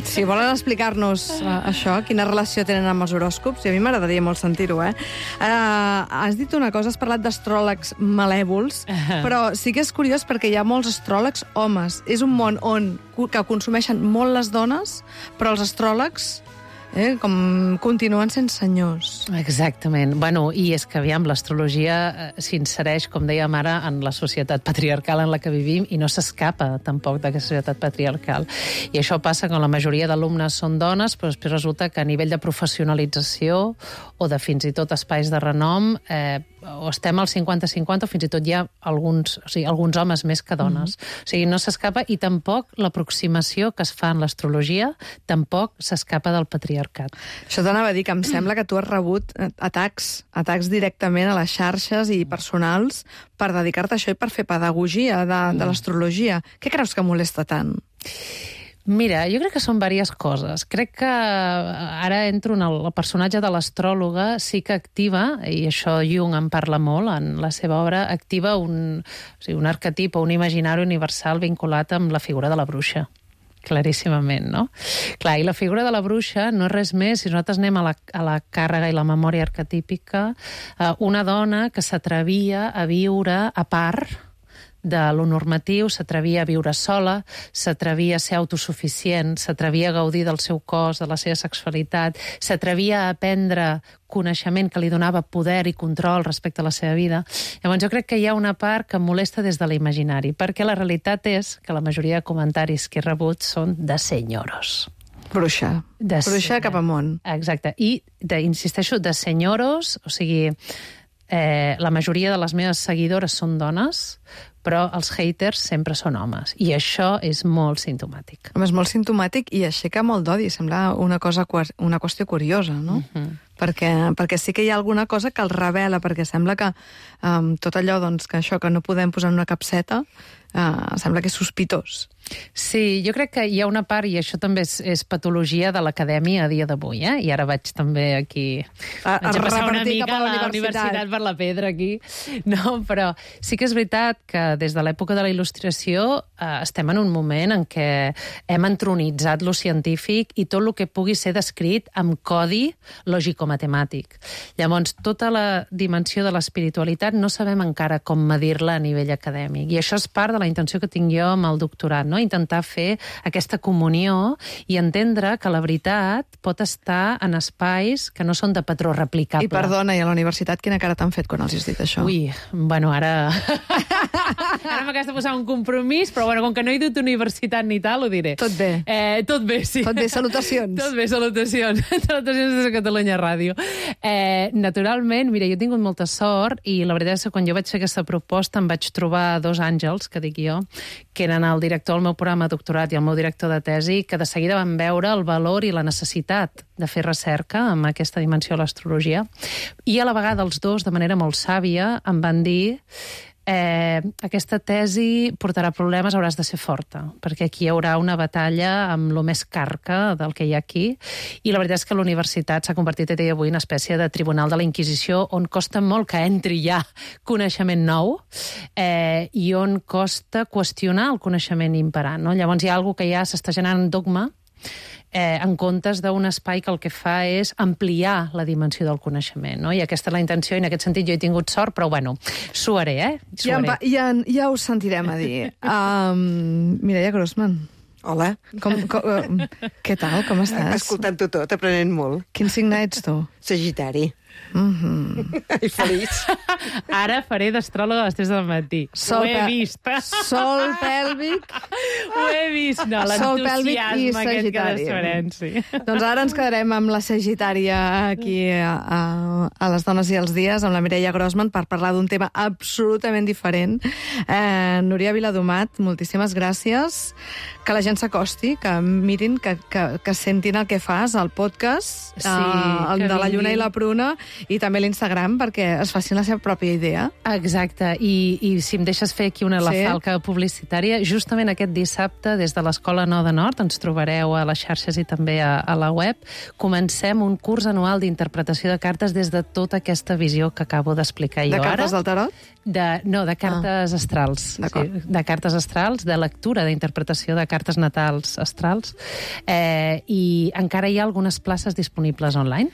si volen explicar-nos uh, això, quina relació tenen amb els horòscops, i a mi m'agradaria molt sentir-ho, eh? Uh, has dit una cosa, has parlat d'astròlegs malèvols, però sí que és curiós perquè hi ha molts astròlegs homes. És un món on que consumeixen molt les dones, però els astròlegs Eh, com continuen sent senyors. Exactament. Bueno, i és que, aviam, l'astrologia eh, s'insereix, com dèiem ara, en la societat patriarcal en la que vivim i no s'escapa tampoc d'aquesta societat patriarcal. I això passa que la majoria d'alumnes són dones, però després resulta que a nivell de professionalització o de fins i tot espais de renom eh, o estem al cinquanta cinquanta o fins i tot hi ha alguns, o sigui, alguns homes més que dones. Mm-hmm. O sigui, no s'escapa, i tampoc l'aproximació que es fa en l'astrologia tampoc s'escapa del patriarcat. Això t'anava a dir, que em sembla que tu has rebut atacs, atacs directament a les xarxes i personals per dedicar-te a això i per fer pedagogia de, de l'astrologia. Què creus que molesta tant? Mira, jo crec que són diverses coses. Crec que ara entro en el, el personatge de l'astròloga, sí que activa, i això Jung en parla molt en la seva obra, activa un, o sigui, un arquetip o un imaginari universal vinculat amb la figura de la bruixa. Claríssimament, no? Clar, i la figura de la bruixa no és res més, si nosaltres anem a la, a la càrrega i la memòria arquetípica, eh, una dona que s'atrevia a viure a part de lo normatiu, s'atrevia a viure sola, s'atrevia a ser autosuficient, s'atrevia a gaudir del seu cos, de la seva sexualitat, s'atrevia a aprendre coneixement que li donava poder i control respecte a la seva vida. Llavors jo crec que hi ha una part que molesta des de l'imaginari, perquè la realitat és que la majoria de comentaris que he rebut són de senyoros. Bruixa. De Bruixa cap amunt. Exacte. I, de, insisteixo, de senyoros, o sigui, eh, la majoria de les meves seguidores són dones, però els haters sempre són homes. I això és molt simptomàtic. És molt simptomàtic i aixeca molt d'odi. Sembla una cosa, una qüestió curiosa, no? Uh-huh. perquè, perquè sí que hi ha alguna cosa que el revela, perquè sembla que um, tot allò doncs, que això que no podem posar en una capseta uh, sembla que és sospitós. Sí, jo crec que hi ha una part, i això també és, és patologia de l'acadèmia a dia d'avui, eh? I ara vaig també aquí... A, a vaig a passar una repartir mica cap a la la universitat. universitat per la pedra aquí. No, però sí que és veritat que des de l'època de la Il·lustració eh, estem en un moment en què hem entronitzat lo científic i tot el que pugui ser descrit amb codi lògico-matemàtic. Llavors, tota la dimensió de l'espiritualitat no sabem encara com medir-la a nivell acadèmic. I això és part de la intenció que tinc jo amb el doctorat, no? Intentar fer aquesta comunió i entendre que la veritat pot estar en espais que no són de patró replicable. I perdona, i a la universitat quina cara t'han fet quan els has dit això? Ui, bueno, ara... ara m'acabes de posar un compromís, però bueno, com que no he dut universitat ni tal, ho diré. Tot bé. Eh, tot bé, sí. Tot bé, salutacions. Tot bé, salutacions. Salutacions des de Catalunya Ràdio. Eh, naturalment, mira, jo he tingut molta sort i la veritat és que quan jo vaig fer aquesta proposta em vaig trobar dos àngels, que dic jo, que eren el director del meu programa de doctorat i el meu director de tesi, que de seguida van veure el valor i la necessitat de fer recerca amb aquesta dimensió de l'astrologia. I a la vegada els dos, de manera molt sàvia, em van dir eh, aquesta tesi portarà problemes, hauràs de ser forta, perquè aquí hi haurà una batalla amb lo més carca del que hi ha aquí, i la veritat és que la universitat s'ha convertit a dia d'avui en una espècie de tribunal de la Inquisició on costa molt que entri ja coneixement nou eh, i on costa qüestionar el coneixement imperant. No? Llavors hi ha alguna que ja s'està generant dogma Eh, en comptes d'un espai que el que fa és ampliar la dimensió del coneixement, no? I aquesta és la intenció, i en aquest sentit jo he tingut sort, però bueno, s'ho haré, eh? Ja, va, ja, ja us sentirem a dir. Um, Mireia Grossman. Hola. Com, com, què tal, com estàs? Escoltant-ho tot, aprenent molt. Quin signe ets tu? Sagitari. Mm-hmm. I feliç. Ara faré d'astròloga a les tres del matí. Sol Ho he pe- vist. Sol pèlvic. Ho he vist. No, Sol pèlvic i l'entusiasme aquest que Sagitari. desfarem, sí. Doncs ara ens quedarem amb la Sagitària aquí a, a, a Les Dones i els Dies, amb la Mireia Grossman, per parlar d'un tema absolutament diferent. Eh, Núria Viladomat, moltíssimes gràcies. Que la gent s'acosti, que mirin, que, que, que sentin el que fas, el podcast, Sí, eh, el que de la Lluna vinguin. i la Pruna, i també l'Instagram, perquè es facin la seva pròpia idea. Exacte, I, i si em deixes fer aquí una la Sí. falca publicitària, justament aquest dissabte, des de l'Escola Nou de Nord, ens trobareu a les xarxes i també a, a la web, comencem un curs anual d'interpretació de cartes des de tota aquesta visió que acabo d'explicar jo De ara. cartes del tarot? De, no, de cartes ah. astrals. D'acord. Sí, de cartes astrals, de lectura, d'interpretació de cartes natals astrals. Eh, I encara hi ha algunes places disponibles online.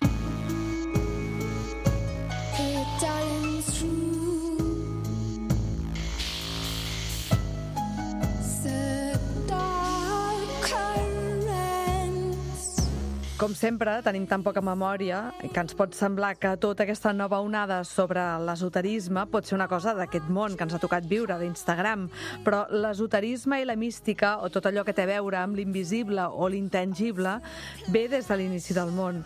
Com sempre, tenim tan poca memòria que ens pot semblar que tota aquesta nova onada sobre l'esoterisme pot ser una cosa d'aquest món que ens ha tocat viure, d'Instagram. Però l'esoterisme i la mística, o tot allò que té a veure amb l'invisible o l'intangible, ve des de l'inici del món.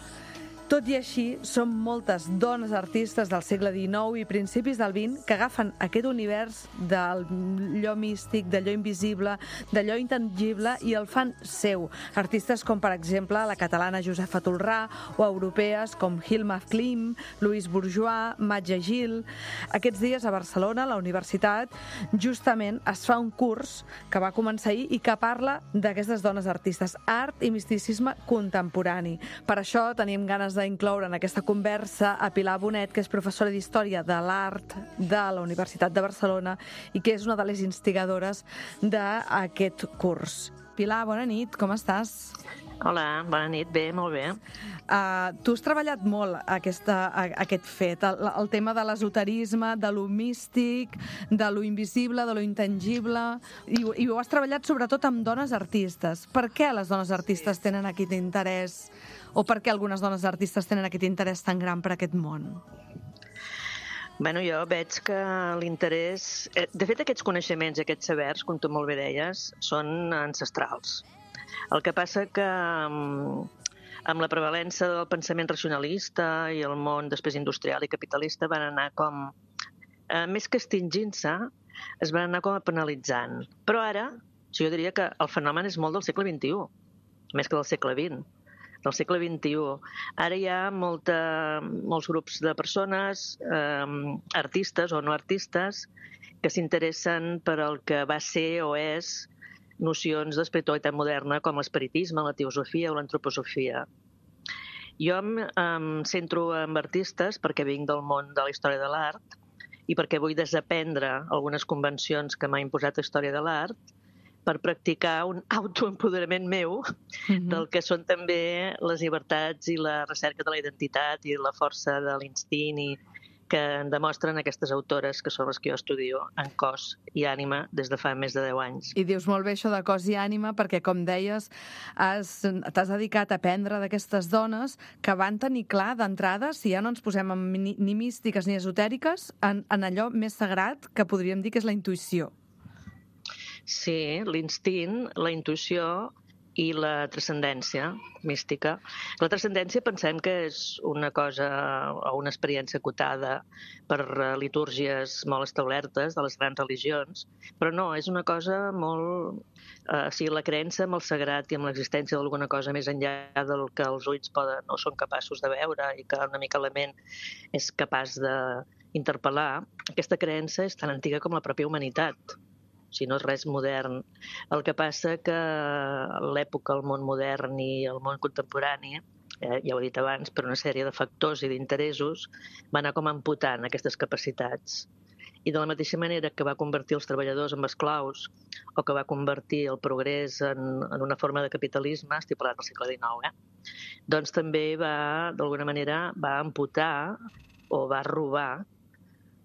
Tot i així, són moltes dones artistes del segle dinou i principis del vint que agafen aquest univers d'allò místic, d'allò invisible, d'allò intangible i el fan seu. Artistes com, per exemple, la catalana Josefa Tolrà o europees com Hilma Klim, Louise Bourgeois, Matja Gil. Aquests dies a Barcelona, a la universitat, justament es fa un curs que va començar ahir i que parla d'aquestes dones artistes, art i misticisme contemporani. Per això tenim ganes d'incloure en aquesta conversa a Pilar Bonet, que és professora d'Història de l'Art de la Universitat de Barcelona i que és una de les instigadores d'aquest curs. Pilar, bona nit, com estàs? Hola, bona nit, bé, molt bé. Uh, tu has treballat molt aquesta, a, aquest fet, el, el tema de l'esoterisme, de lo místic, de lo invisible, de lo intangible, i, i ho has treballat sobretot amb dones artistes. Per què les dones artistes tenen aquest interès, o per què algunes dones artistes tenen aquest interès tan gran per aquest món? Bueno, jo veig que l'interès... De fet, aquests coneixements, aquests sabers, com tu molt bé deies, són ancestrals. El que passa que amb la prevalença del pensament racionalista i el món després industrial i capitalista van anar com, eh, més que extingint-se, es van anar com a penalitzant. Però ara, jo diria que el fenomen és molt del segle vint-i-u, més que del segle vint. del segle vint-i-u. Ara hi ha molta, molts grups de persones, eh, artistes o no artistes, que s'interessen per el que va ser o és nocions d'espiritualitat moderna com l'espiritisme, la teosofia o l'antroposofia. Jo em, em centro en artistes perquè vinc del món de la història de l'art i perquè vull desaprendre algunes convencions que m'ha imposat la història de l'art per practicar un autoempoderament meu mm-hmm. del que són també les llibertats i la recerca de la identitat i la força de l'instint i que demostren aquestes autores que són les que jo estudio en cos i ànima des de fa més de deu anys. I dius molt bé això de cos i ànima perquè, com deies, has, t'has dedicat a aprendre d'aquestes dones que van tenir clar d'entrada, si ja no ens posem ni, ni místiques ni esotèriques, en, en allò més sagrat que podríem dir que és la intuïció. Sí, l'instint, la intuïció i la transcendència mística. La transcendència pensem que és una cosa o una experiència acotada per litúrgies molt establertes de les grans religions, però no, és una cosa molt... Eh, o sigui, la creença amb el sagrat i amb l'existència d'alguna cosa més enllà del que els ulls poden o són capaços de veure i que una mica la ment és capaç d'interpel·lar, aquesta creença és tan antiga com la pròpia humanitat. Si no és res modern. El que passa que l'època, el món modern i el món contemporani, eh, ja ho he dit abans, per una sèrie de factors i d'interessos, va anar com amputant aquestes capacitats. I de la mateixa manera que va convertir els treballadors en esclaus o que va convertir el progrés en, en una forma de capitalisme, estic parlant del segle dinou, eh? doncs també va, d'alguna manera, va amputar o va robar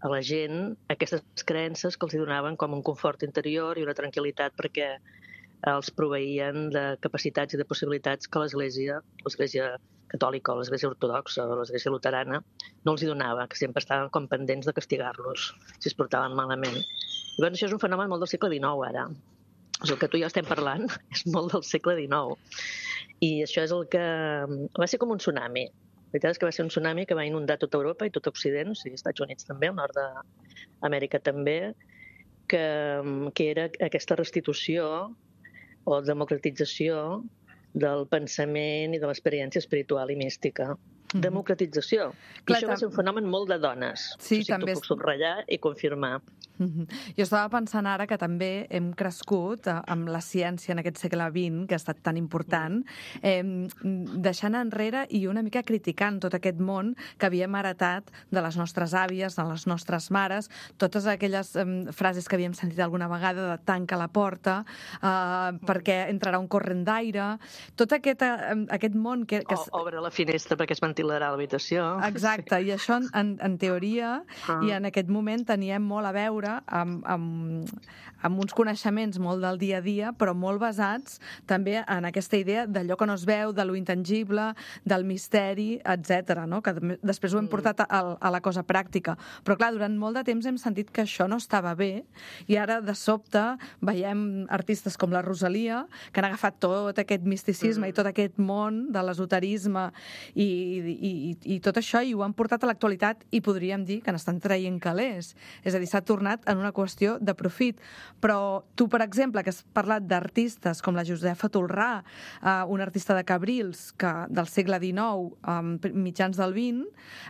a la gent aquestes creences que els donaven com un confort interior i una tranquil·litat perquè els proveïen de capacitats i de possibilitats que l'Església, l'Església catòlica o l'Església ortodoxa o l'Església luterana no els hi donava, que sempre estaven com pendents de castigar-los si es portaven malament. I doncs això és un fenomen molt del segle dinou ara. O sigui, el que tu i jo estem parlant és molt del segle dinou. I això és el que... va ser com un tsunami. La veritat és que va ser un tsunami que va inundar tota Europa i tot Occident, o sigui, Estats Units també, el nord d'Amèrica també, que, que era aquesta restitució o democratització del pensament i de l'experiència espiritual i mística. Mm-hmm. Democratització. I Clar, això va ser un fenomen molt de dones. Sí, o sigui, també... t'ho puc subratllar i confirmar. Mm-hmm. Jo estava pensant ara que també hem crescut amb la ciència en aquest segle vint, que ha estat tan important, eh, deixant enrere i una mica criticant tot aquest món que havíem heretat de les nostres àvies, de les nostres mares, totes aquelles eh, frases que havíem sentit alguna vegada de tanca la porta, eh, perquè entrarà un corrent d'aire, tot aquest, eh, aquest món que... que... O, obre la finestra perquè es ventilarà l'habitació. Exacte, sí. I això en, en teoria ah. i en aquest moment teníem molt a veure Amb, amb, amb uns coneixements molt del dia a dia, però molt basats també en aquesta idea d'allò que no es veu, de lo intangible, del misteri, etcètera, no? Que després ho hem portat a, a la cosa pràctica. Però clar, durant molt de temps hem sentit que això no estava bé i ara de sobte veiem artistes com la Rosalia que han agafat tot aquest misticisme mm. i tot aquest món de l'esoterisme i, i, i, i tot això i ho han portat a l'actualitat i podríem dir que n'estan traient calés. És a dir, s'ha tornat en una qüestió de profit. Però tu, per exemple, que has parlat d'artistes com la Josefa Tolrà, eh, una artista de Cabrils que, del segle dinou, eh, mitjans del vint,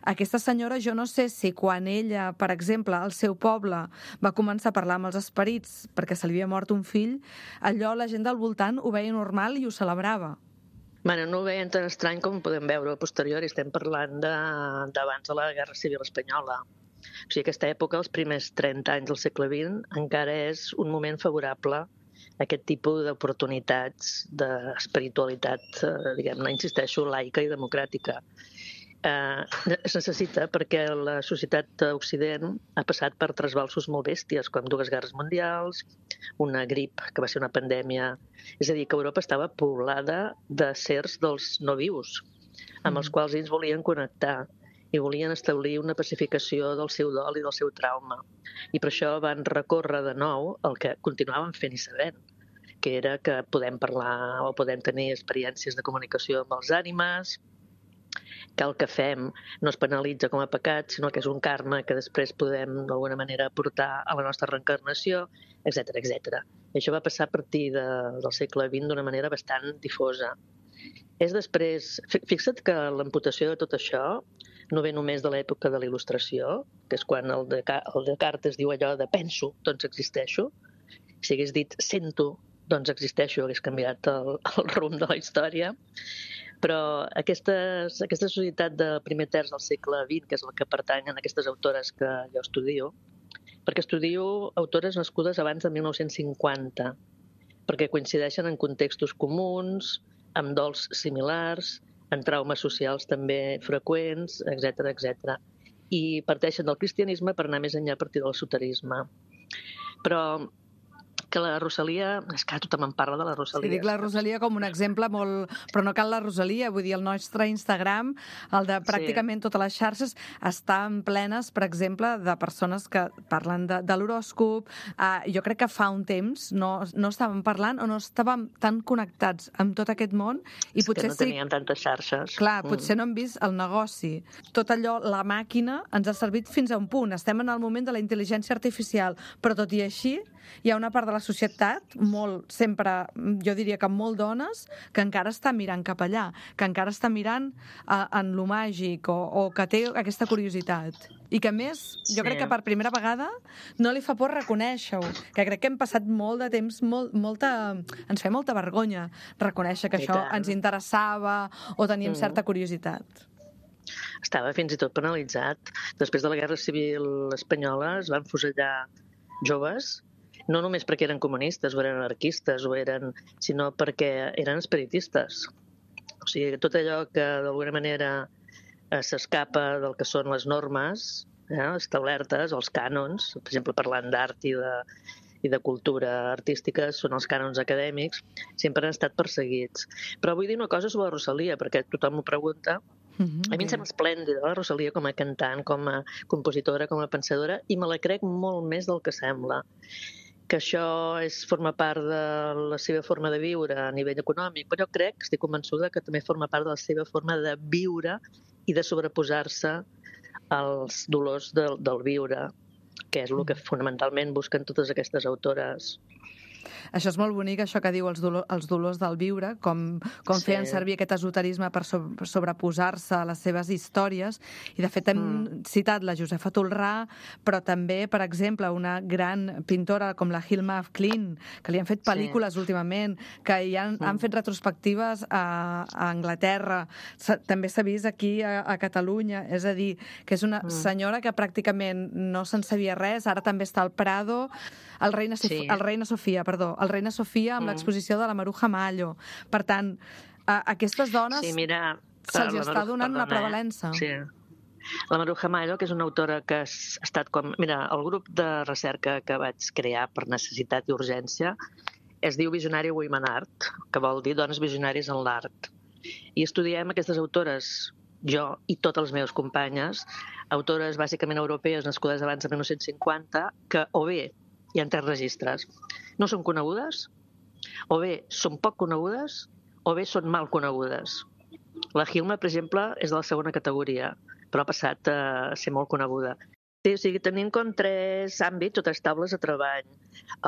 aquesta senyora, jo no sé si quan ella, per exemple, al seu poble va començar a parlar amb els esperits perquè se li havia mort un fill, allò la gent del voltant ho veia normal i ho celebrava. Bueno, no ho veien tan estrany com podem veure a posteriori. Estem parlant de, d'abans de la Guerra Civil Espanyola. O sigui, aquesta època, els primers trenta anys del segle vint, encara és un moment favorable a aquest tipus d'oportunitats d'espiritualitat, eh, diguem-ne, insisteixo, laica i democràtica. Eh, es necessita perquè la societat d'Occident ha passat per trasbalsos molt bèsties, com dues guerres mundials, una grip, que va ser una pandèmia. És a dir, que Europa estava poblada de sers dels no vius, amb els quals ells volien connectar i volien establir una pacificació del seu dol i del seu trauma. I per això van recórrer de nou el que continuaven fent i sabent, que era que podem parlar o podem tenir experiències de comunicació amb els ànimes, que el que fem no es penalitza com a pecat, sinó que és un karma que després podem d'alguna manera portar a la nostra reencarnació, etcètera, etcètera. I això va passar a partir de, del segle vint d'una manera bastant difosa. És després... Fixa't que l'amputació de tot això no ve només de l'època de la Il·lustració, que és quan el, de, el Descartes diu allò de penso, doncs existeixo. Si hagués dit sento, doncs existeixo, hagués canviat el, el rumb de la història. Però aquestes, aquesta societat del primer terç del segle vint, que és la que pertanyen a aquestes autores que jo estudio, perquè estudio autores nascudes abans de mil nou-cents cinquanta, perquè coincideixen en contextos comuns, amb dols similars, en traumes socials també freqüents, etcètera, etcètera. I parteixen del cristianisme per anar més enllà a partir del esoterisme. Però que la Rosalia... És que tothom en parla de la Rosalia. Sí, dic la Rosalia com un exemple molt... Però no cal la Rosalia, vull dir, el nostre Instagram, el de pràcticament sí. totes les xarxes, estan plenes, per exemple, de persones que parlen de, de l'horòscop. Uh, jo crec que fa un temps no, no estàvem parlant o no estàvem tan connectats amb tot aquest món. I és potser que no teníem sí... tantes xarxes. Clar, potser mm. no hem vist el negoci. Tot allò, la màquina, ens ha servit fins a un punt. Estem en el moment de la intel·ligència artificial, però tot i així hi ha una part de la societat, molt, sempre, jo diria que molt dones, que encara està mirant cap allà, que encara està mirant uh, en lo màgic o, o que té aquesta curiositat. I que, a més, jo sí. crec que per primera vegada no li fa por reconèixer-ho, que crec que hem passat molt de temps, molt, molta, ens feia molta vergonya reconèixer que I això tant. ens interessava o teníem mm. certa curiositat. Estava fins i tot penalitzat. Després de la Guerra Civil Espanyola es van fusellar joves, no només perquè eren comunistes o eren anarquistes, o eren, sinó perquè eren espiritistes. O sigui, tot allò que d'alguna manera eh, s'escapa del que són les normes eh, establertes, els cànons, per exemple, parlant d'art i de, i de cultura artística, són els cànons acadèmics, sempre han estat perseguits. Però vull dir una cosa sobre la Rosalia, perquè tothom m'ho pregunta. Mm-hmm. A mi em sembla esplèndida la Rosalia com a cantant, com a compositora, com a pensadora, i me la crec molt més del que sembla. Que això és, forma part de la seva forma de viure a nivell econòmic, però jo crec, estic convençuda, que també forma part de la seva forma de viure i de sobreposar-se als dolors del, del viure, que és el que fonamentalment busquen totes aquestes autores. Això és molt bonic, això que diu els, dolor, els dolors del viure, com, com sí. feien servir aquest esoterisme per sobreposar-se a les seves històries. I, de fet, hem mm. citat la Josefa Tolrà, però també, per exemple, una gran pintora com la Hilma af Klint, que li han fet pel·lícules sí. últimament, que hi han, mm. han fet retrospectives a, a Anglaterra. També s'ha vist aquí a, a Catalunya. És a dir, que és una mm. senyora que pràcticament no se'n sabia res. Ara també està al Prado. El Reina, sí. el Reina Sofia, perdó, el Reina Sofia amb mm. l'exposició de la Maruja Mallo. Per tant, a aquestes dones sí, mira, se'ls està donant perdona, una prevalença. Sí. La Maruja Mallo, que és una autora que ha estat com... Mira, el grup de recerca que vaig crear per necessitat i urgència es diu Visionary Women Art, que vol dir dones visionàries en l'art. I estudiem aquestes autores, jo i totes les meves companyes, autores bàsicament europees nascudes abans de mil nou-cents cinquanta, que o bé hi ha tres registres. No són conegudes, o bé són poc conegudes, o bé són mal conegudes. La Hilma, per exemple, és de la segona categoria, però ha passat a ser molt coneguda. Sí, o sigui, tenim com tres àmbits o tres taules de treball.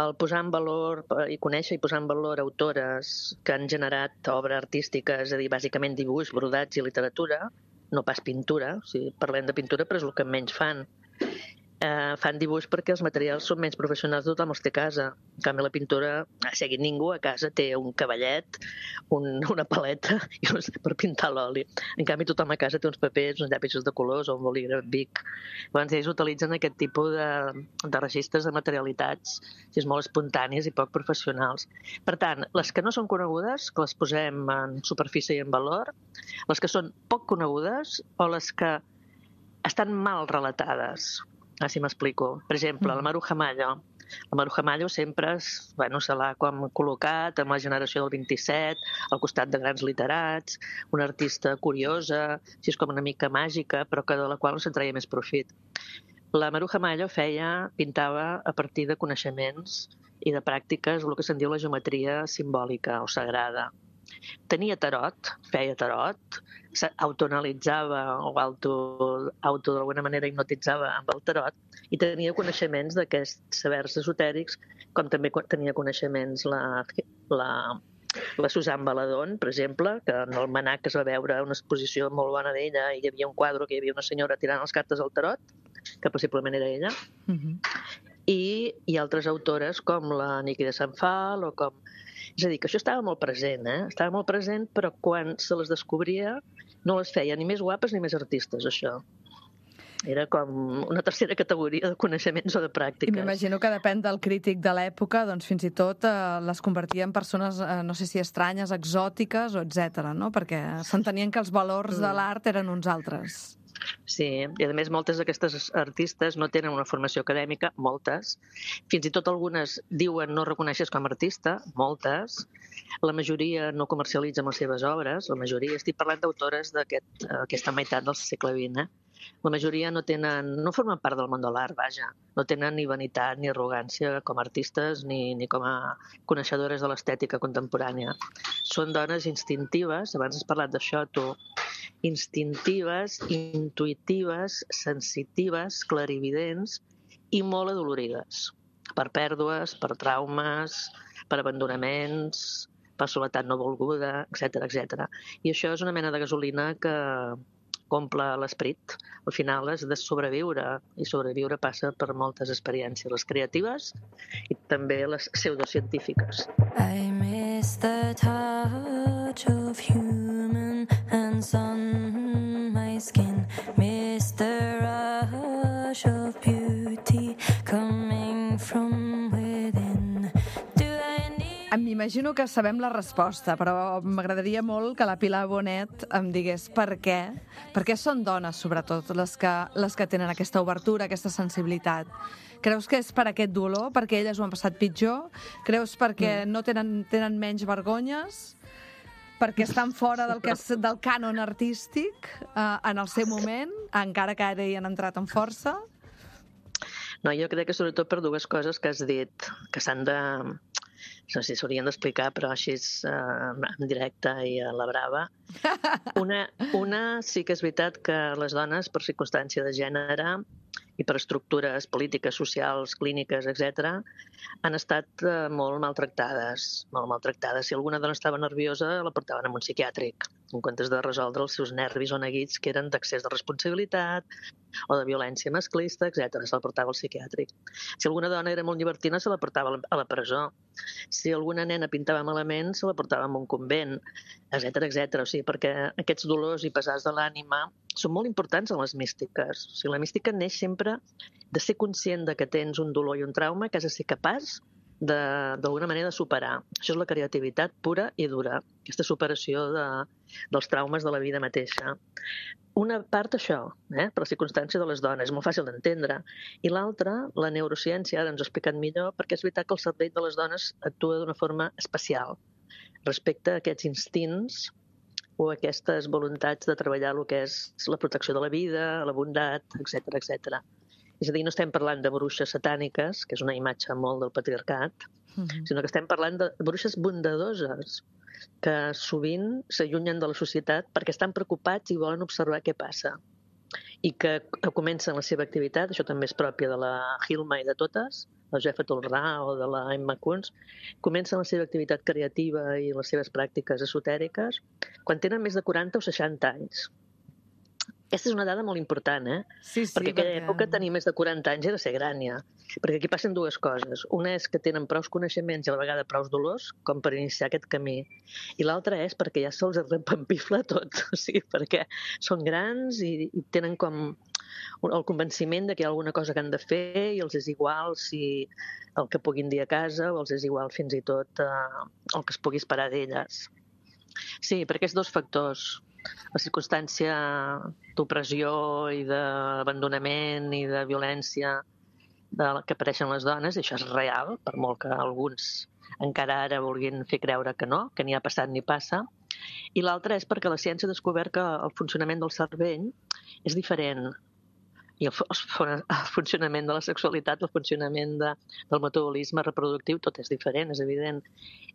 El posar en valor i conèixer i posar en valor autores que han generat obra artística, és a dir, bàsicament dibuix, brodats i literatura, no pas pintura, o sigui, parlem de pintura, però és el que menys fan. Eh, fan dibuix perquè els materials són menys professionals, tothom els té a casa. En canvi, la pintura, a seguir ningú a casa té un cavallet, un, una paleta i un, per pintar l'oli. En canvi, tothom a casa té uns papers, uns llapis de colors o un bolígraf Bic. Llavors, ells utilitzen aquest tipus de, de registres de materialitats, si és molt espontànies i poc professionals. Per tant, les que no són conegudes, que les posem en superfície i en valor, les que són poc conegudes o les que estan mal relatades. Ah, si m'explico. Per exemple, la Maruja Mallo. La Maruja Mallo sempre bueno, se l'ha com col·locat amb la generació del vint-i-set, al costat de grans literats, una artista curiosa, si és com una mica màgica, però que de la qual no se'n treia més profit. La Maruja Mallo feia, pintava a partir de coneixements i de pràctiques el que se'n diu la geometria simbòlica o sagrada. Tenia tarot, feia tarot, s'autoanalitzava o auto, auto d'alguna manera hipnotitzava amb el tarot i tenia coneixements d'aquests sabers esotèrics, com també tenia coneixements la, la La Susan Baladón, per exemple, que en el Manac es va veure una exposició molt bona d'ella i hi havia un quadre que hi havia una senyora tirant les cartes al tarot, que possiblement era ella, Mhm. i, i altres autores com la Niki de Sant Fal o com... És a dir, que això estava molt present, eh? Estava molt present, però quan se les descobria no les feia ni més guapes ni més artistes, això. Era com una tercera categoria de coneixements o de I pràctiques. m'imagino que depèn del crític de l'època, doncs fins i tot eh, les convertia en persones, eh, no sé si estranyes, exòtiques o etcètera, no? Perquè s'entenien que els valors de l'art eren uns altres. Sí, i a més moltes d'aquestes artistes no tenen una formació acadèmica, moltes. Fins i tot algunes diuen no reconeixes com a artista, moltes. La majoria no comercialitzen les seves obres, la majoria, estic parlant d'autores d'aquesta meitat del segle vint, eh? La majoria no tenen, no formen part del món de l'art, vaja. No tenen ni vanitat ni arrogància com a artistes ni, ni com a coneixedores de l'estètica contemporània. Són dones instintives, abans has parlat d'això tu, instintives, intuïtives, sensitives, clarividents i molt adolorides. Per pèrdues, per traumes, per abandonaments, per soledat no volguda, etcètera, etcètera. I això és una mena de gasolina que omple l'esperit. Al final has de sobreviure, i sobreviure passa per moltes experiències, les creatives i també les pseudocientífiques. I miss the touch of human hands on my skin, miss the rush of beauty coming from within. Do I need... M'imagino que sabem la resposta, però m'agradaria molt que la Pilar Bonet em digués per què, per què són dones, sobretot, les que, les que tenen aquesta obertura, aquesta sensibilitat. Creus que és per aquest dolor, perquè elles ho han passat pitjor? Creus perquè no tenen, tenen menys vergonyes? Perquè estan fora del, que és, del cànon artístic eh, en el seu moment, encara que ara hi han entrat amb força? No, jo crec que sobretot per dues coses que has dit, que s'han de... no sé si s'haurien d'explicar, però així eh, en directe i a la brava. Una, una sí que és veritat que les dones, per circumstància de gènere i per estructures polítiques, socials, clíniques, etcètera, han estat eh, molt maltractades, molt maltractades. Si alguna dona estava nerviosa, la portaven a un psiquiàtric, en comptes de resoldre els seus nervis o neguits que eren d'accés de responsabilitat o de violència masclista, etcètera. Se la portava al psiquiàtric. Si alguna dona era molt llibertina, se la portava a la presó. Si alguna nena pintava malament, se la portava a un convent, etcètera, etcètera. O sigui, perquè aquests dolors i pesars de l'ànima són molt importants en les místiques. O sigui, la mística neix sempre de ser conscient de que tens un dolor i un trauma que has de ser capaç d'alguna manera de superar. Això és la creativitat pura i dura, aquesta superació de, dels traumes de la vida mateixa. Una part això, eh, per la circumstància de les dones, és molt fàcil d'entendre. I l'altra, la neurociència, ara ens ho ha explicat millor, perquè és veritat que el cervell de les dones actua d'una forma especial respecte a aquests instints o aquestes voluntats de treballar el que és la protecció de la vida, la bondat, etcètera, etcètera. És a dir, no estem parlant de bruixes satàniques, que és una imatge molt del patriarcat, uh-huh. sinó que estem parlant de bruixes bondadoses, que sovint s'allunyen de la societat perquè estan preocupats i volen observar què passa. I que comencen la seva activitat, això també és pròpia de la Hilma i de totes, la Jeffa Tolrà o de la Emma Kunz, comencen la seva activitat creativa i les seves pràctiques esotèriques quan tenen més de quaranta o seixanta anys. Aquesta és una dada molt important, eh? Sí, sí, perquè en aquella perquè... època tenir més de quaranta anys era ser gran, ja. Perquè aquí passen dues coses. Una és que tenen prous coneixements i a la vegada prous dolors com per iniciar aquest camí. I l'altra és perquè ja se'ls repampifla tot. O sigui, perquè són grans i, i tenen com el convenciment de que hi ha alguna cosa que han de fer i els és igual si el que puguin dir a casa o els és igual fins i tot eh, el que es pugui esperar d'elles. Sí, per aquests dos factors, la circumstància d'opressió i d'abandonament i de violència de la que apareixen les dones, i això és real, per molt que alguns encara ara vulguin fer creure que no, que ni ha passat ni passa. I l'altra és perquè la ciència ha descobert que el funcionament del cervell és diferent. I el, el funcionament de la sexualitat, el funcionament de, del metabolisme reproductiu, tot és diferent, és evident.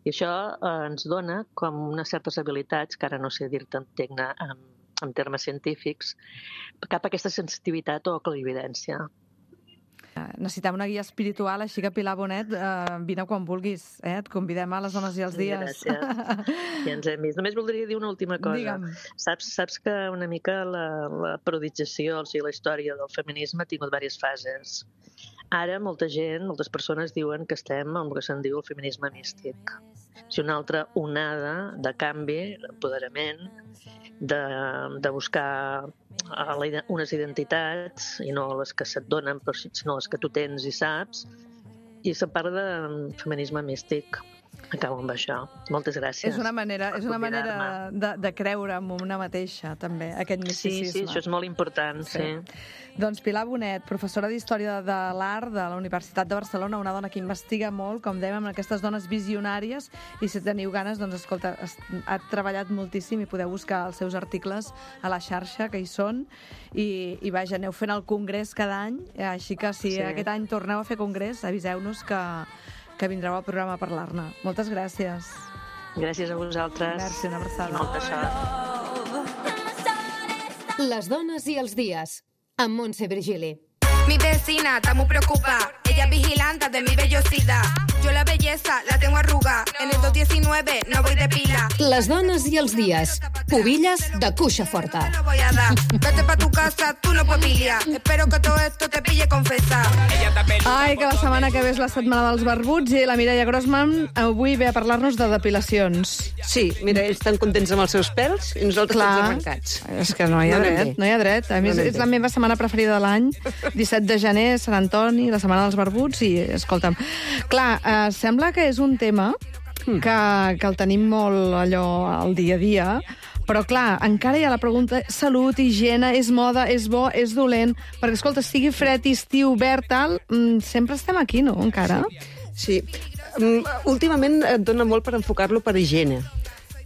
I això eh, ens dona com unes certes habilitats, que ara no sé dir-te en, en, en termes científics, cap a aquesta sensitivitat o clarividència. Necessitem una guia espiritual, així que Pilar Bonet, eh, vine quan vulguis, eh? Et convidem a les dones i els dies. Gràcies. Ja ens hem vist. Només voldria dir una última cosa. Digue'm. Saps, saps que una mica la, la periodització, o sigui, la història del feminisme ha tingut diverses fases. Ara molta gent, moltes persones diuen que estem en el que se'n diu el feminisme místic. És una altra onada de canvi, d'empoderament, de, de buscar la, unes identitats, i no les que se't donen, però sinó les que tu tens i saps, i se'n parla de feminisme místic. Acabo amb això. Moltes gràcies. És una manera, és una manera de, de creure en una mateixa, també, aquest misticisme. Sí, sí, això és molt important, sí. sí. Doncs Pilar Bonet, professora d'Història de l'Art de la Universitat de Barcelona, una dona que investiga molt, com dèiem, amb aquestes dones visionàries, i si teniu ganes, doncs, escolta, ha treballat moltíssim i podeu buscar els seus articles a la xarxa, que hi són, i, i vaja, aneu fent el congrés cada any, així que si sí. aquest any torneu a fer congrés, aviseu-nos que que vindreu al programa a parlar-ne. Moltes gràcies. Gràcies a vosaltres. Merci, una abraçada. Molta sort. Les dones i els dies, amb Montse Virgili. Mi vecina está muy preocupada, ella es vigilante de mi vellosidad. Yo la belleza la tengo arrugada, en el dos diecinueve no voy de pila. Les dones i els dies, pubilles de cuixa forta. No voy a dar, vete pa tu casa, tú no puedes piliar. Espero que todo esto te pille confesar. Ai, que la setmana que ve és la setmana dels barbuts i la Mireia Grossman avui ve a parlar-nos de depilacions. Sí, mira, ells estan contents amb els seus pèls i nosaltres Clar, tots arrencats. És que no hi ha No dret, no hi ha dret. A més, No és la meva setmana preferida de l'any. disset de gener, Sant Antoni, la setmana dels barbuts i, escolta'm, clar, eh, sembla que és un tema que, que el tenim molt allò al dia a dia, però, clar, encara hi ha la pregunta salut, higiene, és moda, és bo, és dolent, perquè, escolta, sigui fred, estiu, verd, tal, sempre estem aquí, no?, encara. Sí. sí. Um, últimament et dona molt per enfocar-lo per higiene.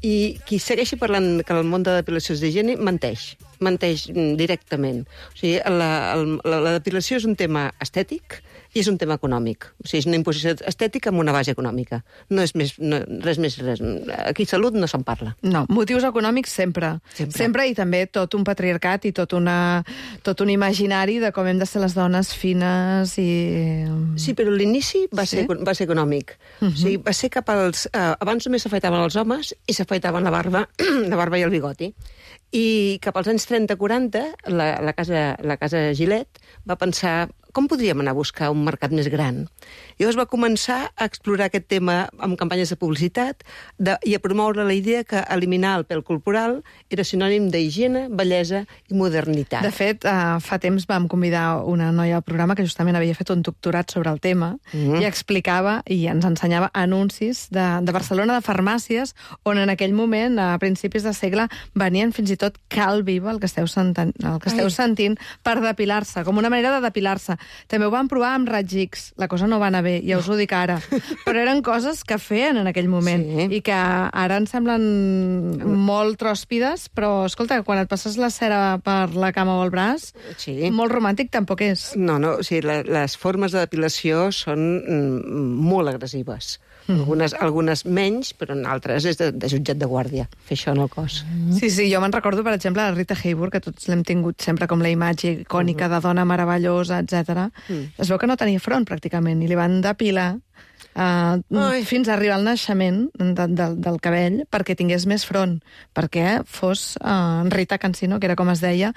I qui segueixi parlant que el món de depilació és d'higiene, menteix. Menteix directament. O sigui, la, la, la depilació és un tema estètic i és un tema econòmic. O sigui, és una imposició estètica amb una base econòmica. No és més, no, res més, res. Aquí salut no se'n parla. No, motius econòmics sempre. Sempre. Sempre, i també tot un patriarcat i tot, una, tot un imaginari de com hem de ser les dones fines i... Sí, però l'inici va, sí? ser, va ser econòmic. Uh -huh. O sigui, va ser cap als... Eh, abans només s'afaitaven els homes i s'afaitaven la barba, la barba i el bigoti. I cap als anys trenta quaranta, la, la, casa, la casa Gillette va pensar com podríem anar a buscar un mercat més gran. Llavors va començar a explorar aquest tema amb campanyes de publicitat de, i a promoure la idea que eliminar el pèl corporal era sinònim d'higiene, bellesa i modernitat. De fet, uh, fa temps vam convidar una noia al programa que justament havia fet un doctorat sobre el tema mm-hmm. i explicava i ens ensenyava anuncis de, de Barcelona, de farmàcies, on en aquell moment, a principis de segle, venien fins i tot cal viva, el que esteu, senten, el que esteu sentint, per depilar-se, com una manera de depilar-se. També ho van provar amb raig X. La cosa no va anar bé, ja us ho dic ara. Però eren coses que feien en aquell moment sí. i que ara ens semblen molt tròspides, però, escolta, quan et passes la cera per la cama o el braç, sí. molt romàntic tampoc és. No, no, o sigui, la, les formes de depilació són mm, molt agressives. Mm. Algunes, algunes menys, però en altres és de, de jutjat de guàrdia, fer això en el cos. Mm. Sí, sí, jo me'n recordo, per exemple, la Rita Hayworth, que tots l'hem tingut sempre com la imatge icònica mm. de dona meravellosa, etcètera. Mm. Es veu que no tenia front, pràcticament, i li van depilar Uh, fins a arribar al naixement de, de, del cabell perquè tingués més front, perquè fos uh, Rita Cancino, que era com es deia,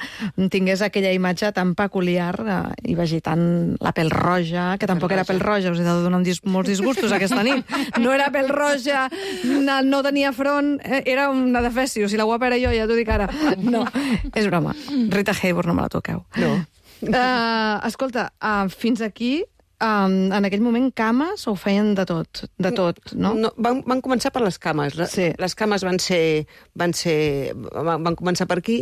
tingués aquella imatge tan peculiar uh, i vegi tant la pell roja, que tampoc era pell roja, us he de donar dis molts disgustos aquesta nit. No era pell roja, no, no tenia front, era una defècio. Si la guapa era jo, ja t'ho dic ara. No, és broma. Rita Hayworth, no me la toqueu. No. Uh, escolta, uh, fins aquí Um, en aquell moment cames o feien de tot? De tot, no? no van, van començar per les cames. Sí. Les cames van ser, van ser van, van començar per aquí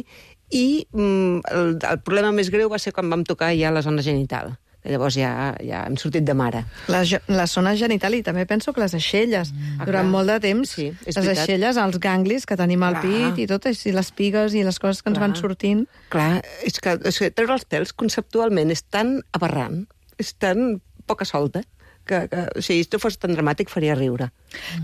i mm, el, el problema més greu va ser quan vam tocar ja la zona genital. Llavors ja, ja hem sortit de mare. La, la zona genital i també penso que les aixelles. Mm. Durant clar. molt de temps, sí, les veritat. aixelles, els ganglis que tenim al pit i tot, i les pigues i les coses que ens clar. van sortint. Clar, és que, és que treure els pèls conceptualment és tan aberrant, és tan poca solta, que, que o sigui, si no fos tan dramàtic faria riure.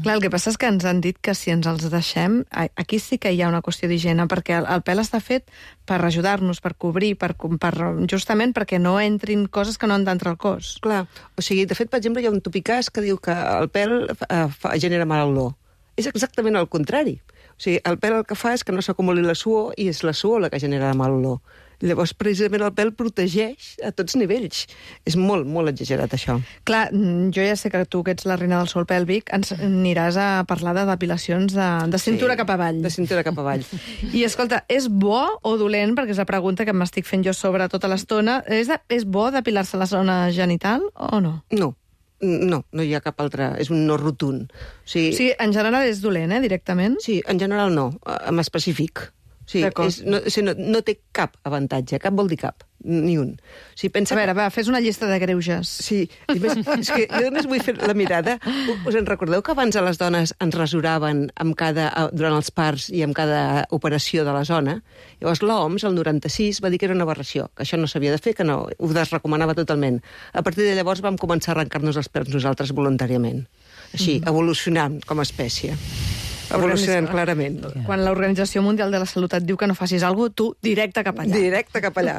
Clar, el que passa és que ens han dit que si ens els deixem, aquí sí que hi ha una qüestió d'higiene, perquè el, el pèl està fet per ajudar-nos, per cobrir, per, per, justament perquè no entrin coses que no han d'entrar al cos. Clar, o sigui, de fet, per exemple, hi ha un topicàs que diu que el pèl eh, fa, genera mala olor. És exactament el contrari. O sigui, el pèl el que fa és que no s'acumuli la suor i és la suor la que genera la mala olor. Llavors, precisament, el pèl protegeix a tots nivells. És molt, molt exagerat, això. Clar, jo ja sé que tu, que ets la reina del sol pèlvic, ens aniràs a parlar de depilacions de, de cintura sí, cap avall. De cintura cap avall. I, escolta, és bo o dolent, perquè és la pregunta que m'estic fent jo sobre tota l'estona, és, de, és bo depilar-se la zona genital o no? No. No, no hi ha cap altre... És un no rotund. O sigui, o sigui, en general és dolent, eh, directament? Sí, en general no, en específic. Sí, és, no, o sigui, no, no té cap avantatge, cap vol dir cap, ni un. O sigui, pensa a veure, que... va, fes una llista de greuges. Sí, i més, és que jo només vull fer la mirada. Us en recordeu que abans a les dones ens rasuraven amb cada, durant els parts i amb cada operació de la zona? Llavors l'O M S, el noranta-sis, va dir que era una aberració, que això no s'havia de fer, que no, ho desrecomanava totalment. A partir de llavors vam començar a arrencar-nos els pèls nosaltres voluntàriament. Així, mm. evolucionant com a espècie. Evolucionant clarament. Quan l'Organització Mundial de la Salut et diu que no facis alguna cosa, tu directe cap allà. Directe cap allà.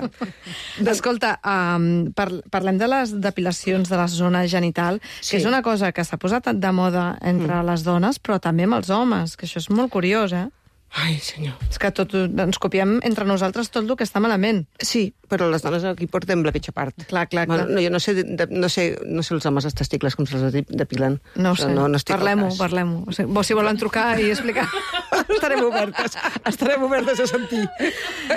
Escolta, um, par parlem de les depilacions de la zona genital, sí. que és una cosa que s'ha posat de moda entre mm. les dones, però també amb els homes, que això és molt curiós, eh? Ai, senyor. És que tot, ens copiem entre nosaltres tot el que està malament. Sí, però les dones aquí portem la pitjor part. Clar, clar, clar. Bueno, no, jo no sé, de, no, sé, no sé els homes els testicles com se'ls depilen. No ho sé, no, no parlem-ho, parlem-ho. O sigui, si volen trucar i explicar... estarem obertes, estarem obertes a sentir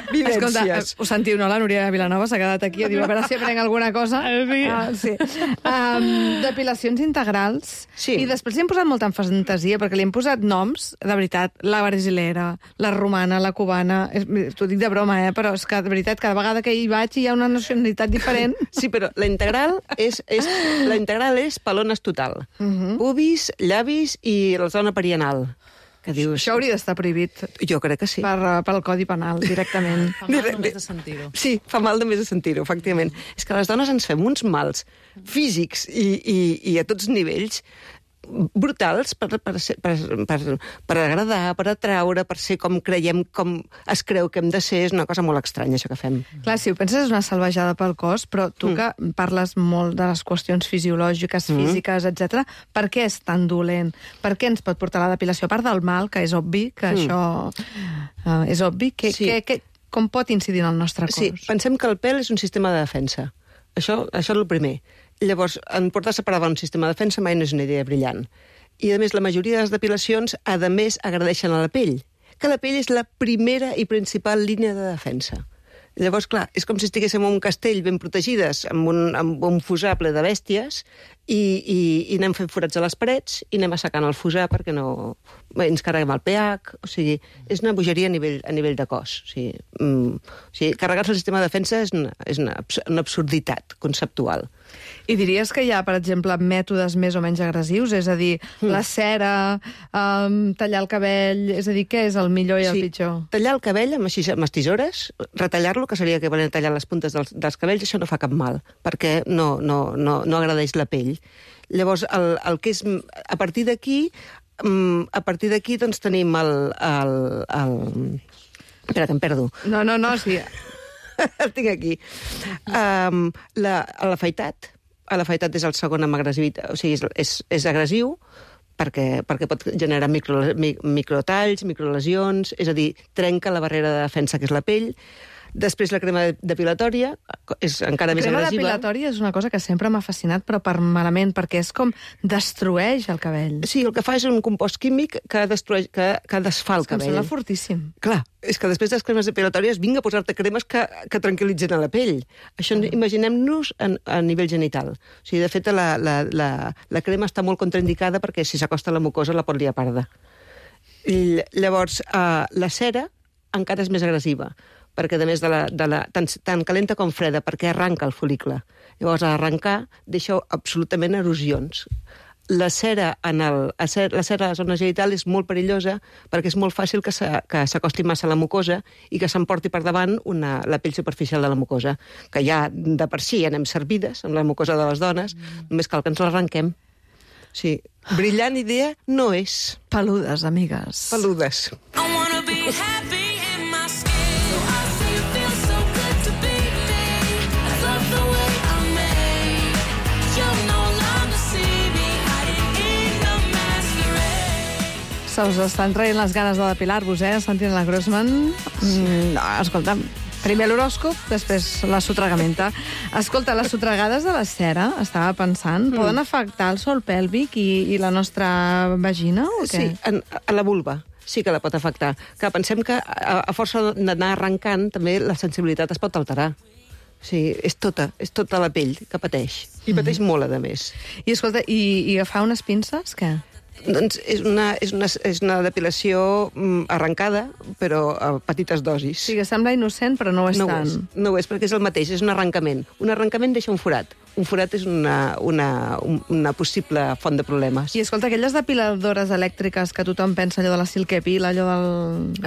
vivències. Escolta, ho sentiu, no? La Núria Vilanova s'ha quedat aquí a dir, a veure si aprenc alguna cosa. Ah, sí. Um, depilacions integrals. Sí. I després li hem posat molta fantasia, perquè li hem posat noms, de veritat, la brasilera, la romana, la cubana... T'ho dic de broma, eh? Però és que, de veritat, cada vegada que hi vaig hi ha una nacionalitat diferent. Sí, però la integral és, és, la integral és pelones total. Uh -huh. Pubis, llavis i la zona perianal. Que dius... Això hauria d'estar prohibit. Jo crec que sí. Per, pel Codi Penal, directament. Fa mal només de sentir-ho. Sí, fa mal només de sentir-ho, efectivament. És que les dones ens fem uns mals físics i, i, i a tots nivells brutals per, per, per, per, per agradar, per atraure, per ser com creiem, com es creu que hem de ser. És una cosa molt estranya, això que fem. Clar, si ho penses és una salvajada pel cos, però tu mm. que parles molt de les qüestions fisiològiques, físiques, mm. etcètera, per què és tan dolent? Per què ens pot portar la depilació? A part del mal, que és obvi, que mm. això uh, és obvi, que, sí. que, que, com pot incidir en el nostre cos? Sí, pensem que el pèl és un sistema de defensa. Això, això és el primer. Llavors, en portar separada un sistema de defensa mai no és una idea brillant. I, a més, la majoria de les depilacions, a més, agradeixen a la pell, que la pell és la primera i principal línia de defensa. Llavors, clar, és com si estiguéssim en un castell ben protegides, amb un, amb un fusar ple de bèsties, i, i, i anem fent forats a les parets, i anem assecant el fusar perquè no... ens carreguem el pH, o sigui, és una bogeria a nivell, a nivell de cos. O sigui, mm, o sigui carregar-se el sistema de defensa és una, és una, una absurditat conceptual. I diries que hi ha, per exemple, mètodes més o menys agressius? És a dir, mm. la cera, um, tallar el cabell... És a dir, què és el millor i el sí, pitjor? Tallar el cabell amb, així, amb les tisores, retallar-lo, que seria que volen tallar les puntes dels, dels cabells, això no fa cap mal, perquè no, no, no, no agradeix la pell. Llavors, el, el que és... A partir d'aquí, a partir d'aquí, doncs, tenim el... el, el... Espera, que em perdo. No, no, no, sí... El tinc aquí. Um, l'afaitat. L'afaitat és el segon amb agressivitat. O sigui, és, és, és agressiu perquè, perquè pot generar micro, microtalls, microlesions, és a dir, trenca la barrera de defensa que és la pell. Després la crema depilatòria és encara més agressiva. La crema depilatòria és una cosa que sempre m'ha fascinat, però per malament, perquè és com destrueix el cabell. Sí, el que fa és un compost químic que, destrueix, que, que desfà el és cabell. Em sembla fortíssim. Clar, és que després de les cremes depilatòries vinga a posar-te cremes que, que tranquil·litzen a la pell. Això mm. imaginem-nos a, a nivell genital. O sigui, de fet, la, la, la, la crema està molt contraindicada perquè si s'acosta a la mucosa la pot liar parda. I, llavors, uh, la cera encara és més agressiva, perquè a més de la, de la, tant, tant calenta com freda, perquè arranca el fol·licle. Llavors, a arrencar, deixa absolutament erosions. la cera, en el, la cera a la zona genital és molt perillosa perquè és molt fàcil que s'acosti massa a la mucosa i que s'emporti per davant una, la pell superficial de la mucosa, que ja de per si anem servides amb la mucosa de les dones, mm. només cal que ens l'arrenquem. Sí, brillant idea no és. Peludes, amigues. Peludes. I wanna be happy in my skin. So I say it feels so good to be me. I love the way I'm made. You'll no longer see me hiding in the masquerade. Se us estan traient les ganes de depilar-vos, eh? Sentint la Grossman. Mm, no, escolta'm, primer l'horòscop, després la sotragamenta. Escolta, les sotregades de la cera, estava pensant, mm. poden afectar el sòl pèlvic i, i la nostra vagina o què? Sí, en, a la vulva sí que la pot afectar. Que pensem que a, a força d'anar arrencant també la sensibilitat es pot alterar. Sí, és tota, és tota la pell que pateix. I pateix mm. molt, a més. I escolta, i, i agafar unes pinces, què? Doncs és una, és una, és una depilació mm, arrencada, però a petites dosis. Sí, que sembla innocent, però no ho és no tant. Ho és, no ho és, perquè és el mateix, és un arrencament. Un arrencament deixa un forat. Un forat és una, una, una possible font de problemes. I escolta, aquelles depiladores elèctriques que tothom pensa, allò de la Silkepil, allò del...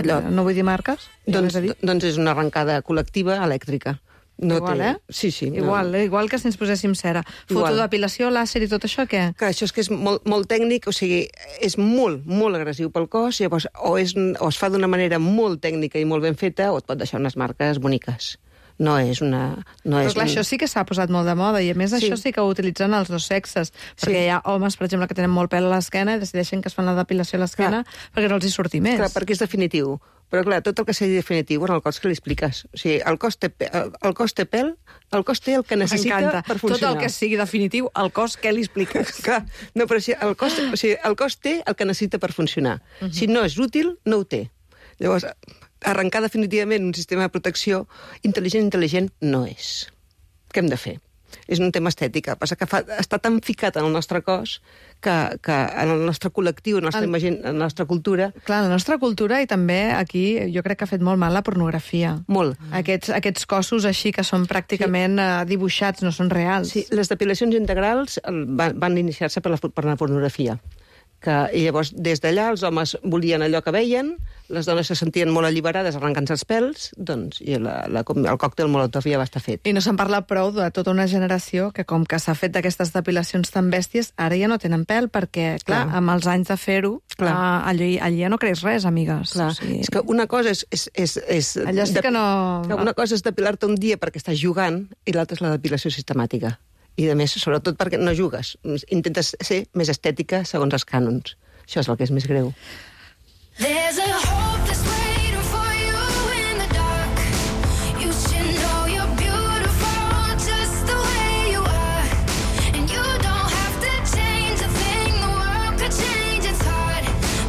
Allò... No vull dir marques? Doncs, doncs és una arrencada col·lectiva elèctrica. No igual, té... eh? Sí, sí. Igual, no. eh? Igual que si ens poséssim cera. Fotodepilació, làser i tot això, què? Que això és que és molt, molt tècnic, o sigui, és molt, molt agressiu pel cos, llavors o, és, o es fa d'una manera molt tècnica i molt ben feta, o et pot deixar unes marques boniques. No és una... No Però és clar, un... això sí que s'ha posat molt de moda, i a més Sí. això sí que ho utilitzen els dos sexes, perquè Sí. hi ha homes, per exemple, que tenen molt pèl a l'esquena i decideixen que es fan la depilació a l'esquena perquè no els hi surti més. Clar, perquè és definitiu. Però, clar, tot el que sigui definitiu en el cos que li expliques. O sigui, el cos té, pe- el, el cos té pèl, el cos té el que necessita M'encanta. per funcionar. Tot el que sigui definitiu, el cos, què li expliques? Clar, no, però si el cos, o sigui, el cos té el que necessita per funcionar. Uh -huh. Si no és útil, no ho té. Llavors, arrencar definitivament un sistema de protecció intel·ligent, intel·ligent, no és. Què hem de fer? És un tema estètic. El que passa que fa, està tan ficat en el nostre cos que, que en el nostre col·lectiu, en la nostra, El- imagine, en la nostra cultura... Clar, la nostra cultura i també aquí jo crec que ha fet molt mal la pornografia. Molt. Aquests, aquests cossos així que són pràcticament sí. dibuixats, no són reals. Sí, les depilacions integrals el- van, van iniciar-se per la, per la pornografia. Que, I llavors, des d'allà, els homes volien allò que veien, les dones se sentien molt alliberades arrencant-se els pèls, doncs, i la, la, el còctel Molotov ja va estar fet. I no se'n parla prou de tota una generació que, com que s'ha fet d'aquestes depilacions tan bèsties, ara ja no tenen pèl, perquè, clar, Clar. amb els anys de fer-ho, Clar. allí, allí ja no creix res, amigues. Clar, O sigui, és que una cosa és... és, és, és allò sí de- que no... que Una cosa és depilar-te un dia perquè estàs jugant i l'altra és la depilació sistemàtica. I, a més, sobretot perquè no jugues. Intentes ser més estètica segons els cànons. Això és el que és més greu. There's a hope that's waiting for you in the dark. You should know you're beautiful just the way you are. And you don't have to change a thing, the world could change its heart.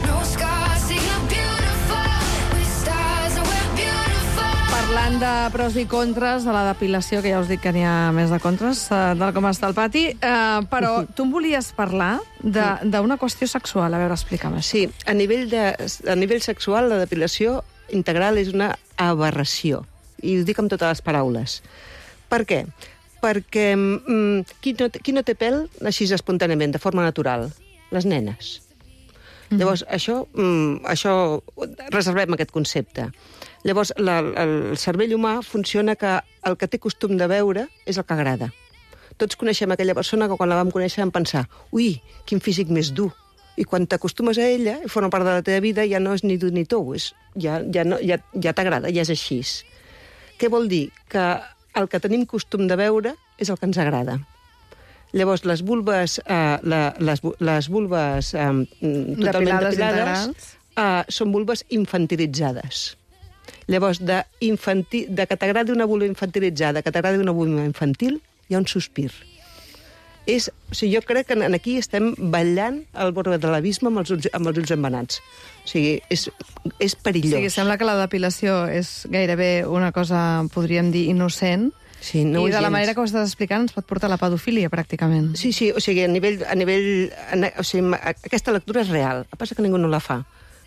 No scars, see you're beautiful with stars and we're beautiful. Parlant de pros i contres de la depilació, que ja us dic que n'hi ha més de contres, eh, del com està el pati, eh, però tu em volies parlar de- d'una qüestió sexual. A veure, explica'm això. Sí, a nivell, de, a nivell sexual, la depilació integral és una aberració. I ho dic amb totes les paraules. Per què? Perquè mm, qui, no, qui no té pèl així espontàniament, de forma natural? Les nenes. Mm. Llavors, això, mm, això, reservem aquest concepte. Llavors, la, el cervell humà funciona que el que té costum de veure és el que agrada. Tots coneixem aquella persona que quan la vam conèixer vam pensar ui, quin físic més dur. I quan t'acostumes a ella i forma part de la teva vida ja no és ni dur ni tou, és, ja, ja, no, ja, ja t'agrada, ja és així. Què vol dir? Que el que tenim costum de veure és el que ens agrada. Llavors, les vulves, eh, la, les, les vulves eh, totalment Depilades depilades integrals. eh, són vulves infantilitzades. Llavors, de, infantil, de que t'agradi una vulva infantilitzada, que t'agradi una vulva infantil, hi ha un sospir. És, o sigui, jo crec que aquí estem ballant al bord de l'abisme amb, els ulls, amb els ulls embenats. O sigui, és, és O perillós. sigui, sembla que la depilació és gairebé una cosa, podríem dir, innocent, Sí, no ho i és de la gens. manera que ho estàs explicant ens pot portar a la pedofília, pràcticament. Sí, sí, o sigui, a nivell... A nivell a, o sigui, aquesta lectura és real. El que passa que ningú no la fa.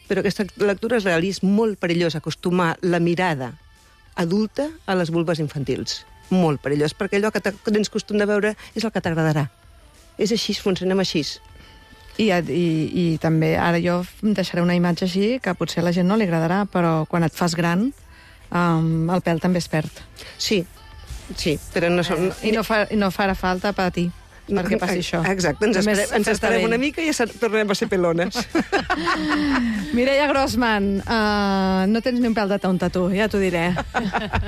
Però aquesta lectura és real i és molt perillós acostumar la mirada adulta a les vulves infantils. Molt perillós, perquè allò que tens costum de veure és el que t'agradarà. És així, funcionem així. I, i, i també, ara jo deixaré una imatge així, que potser a la gent no li agradarà, però quan et fas gran, um, el pèl també es perd. Sí, sí, però no són... I no, fa, i no farà falta patir perquè passi això. Exacte, ens, Només esperem, ens fer-te esperem vell. una mica i ja tornarem a ser pelones. Mireia Grossman, uh, no tens ni un pèl de tonta, tu, ja t'ho diré.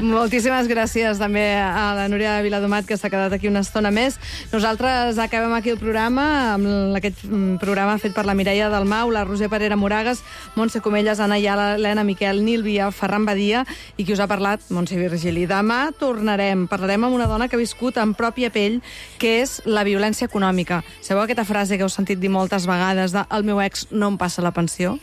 Moltíssimes gràcies també a la Núria Viladomat, que s'ha quedat aquí una estona més. Nosaltres acabem aquí el programa, amb aquest programa fet per la Mireia Dalmau, la Roser Parera Moragas, Montse Comelles, Anna Iala, Helena Miquel, Nil Via, Ferran Badia, i qui us ha parlat, Montse Virgili. Demà tornarem, parlarem amb una dona que ha viscut en pròpia pell, que és la violència econòmica. Sabeu aquesta frase que heu sentit dir moltes vegades de el meu ex no em passa la pensió?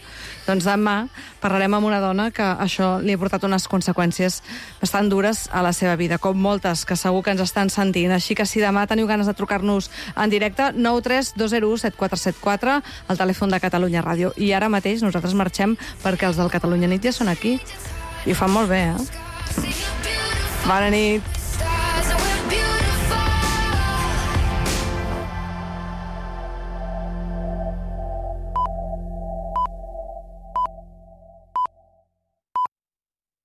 Doncs demà parlarem amb una dona que això li ha portat unes conseqüències bastant dures a la seva vida, com moltes que segur que ens estan sentint. Així que si demà teniu ganes de trucar-nos en directe, nou tres dos zero u set quatre set quatre, el telèfon de Catalunya Ràdio. I ara mateix nosaltres marxem perquè els del Catalunya Nit ja són aquí. I ho fan molt bé, eh? Bona nit.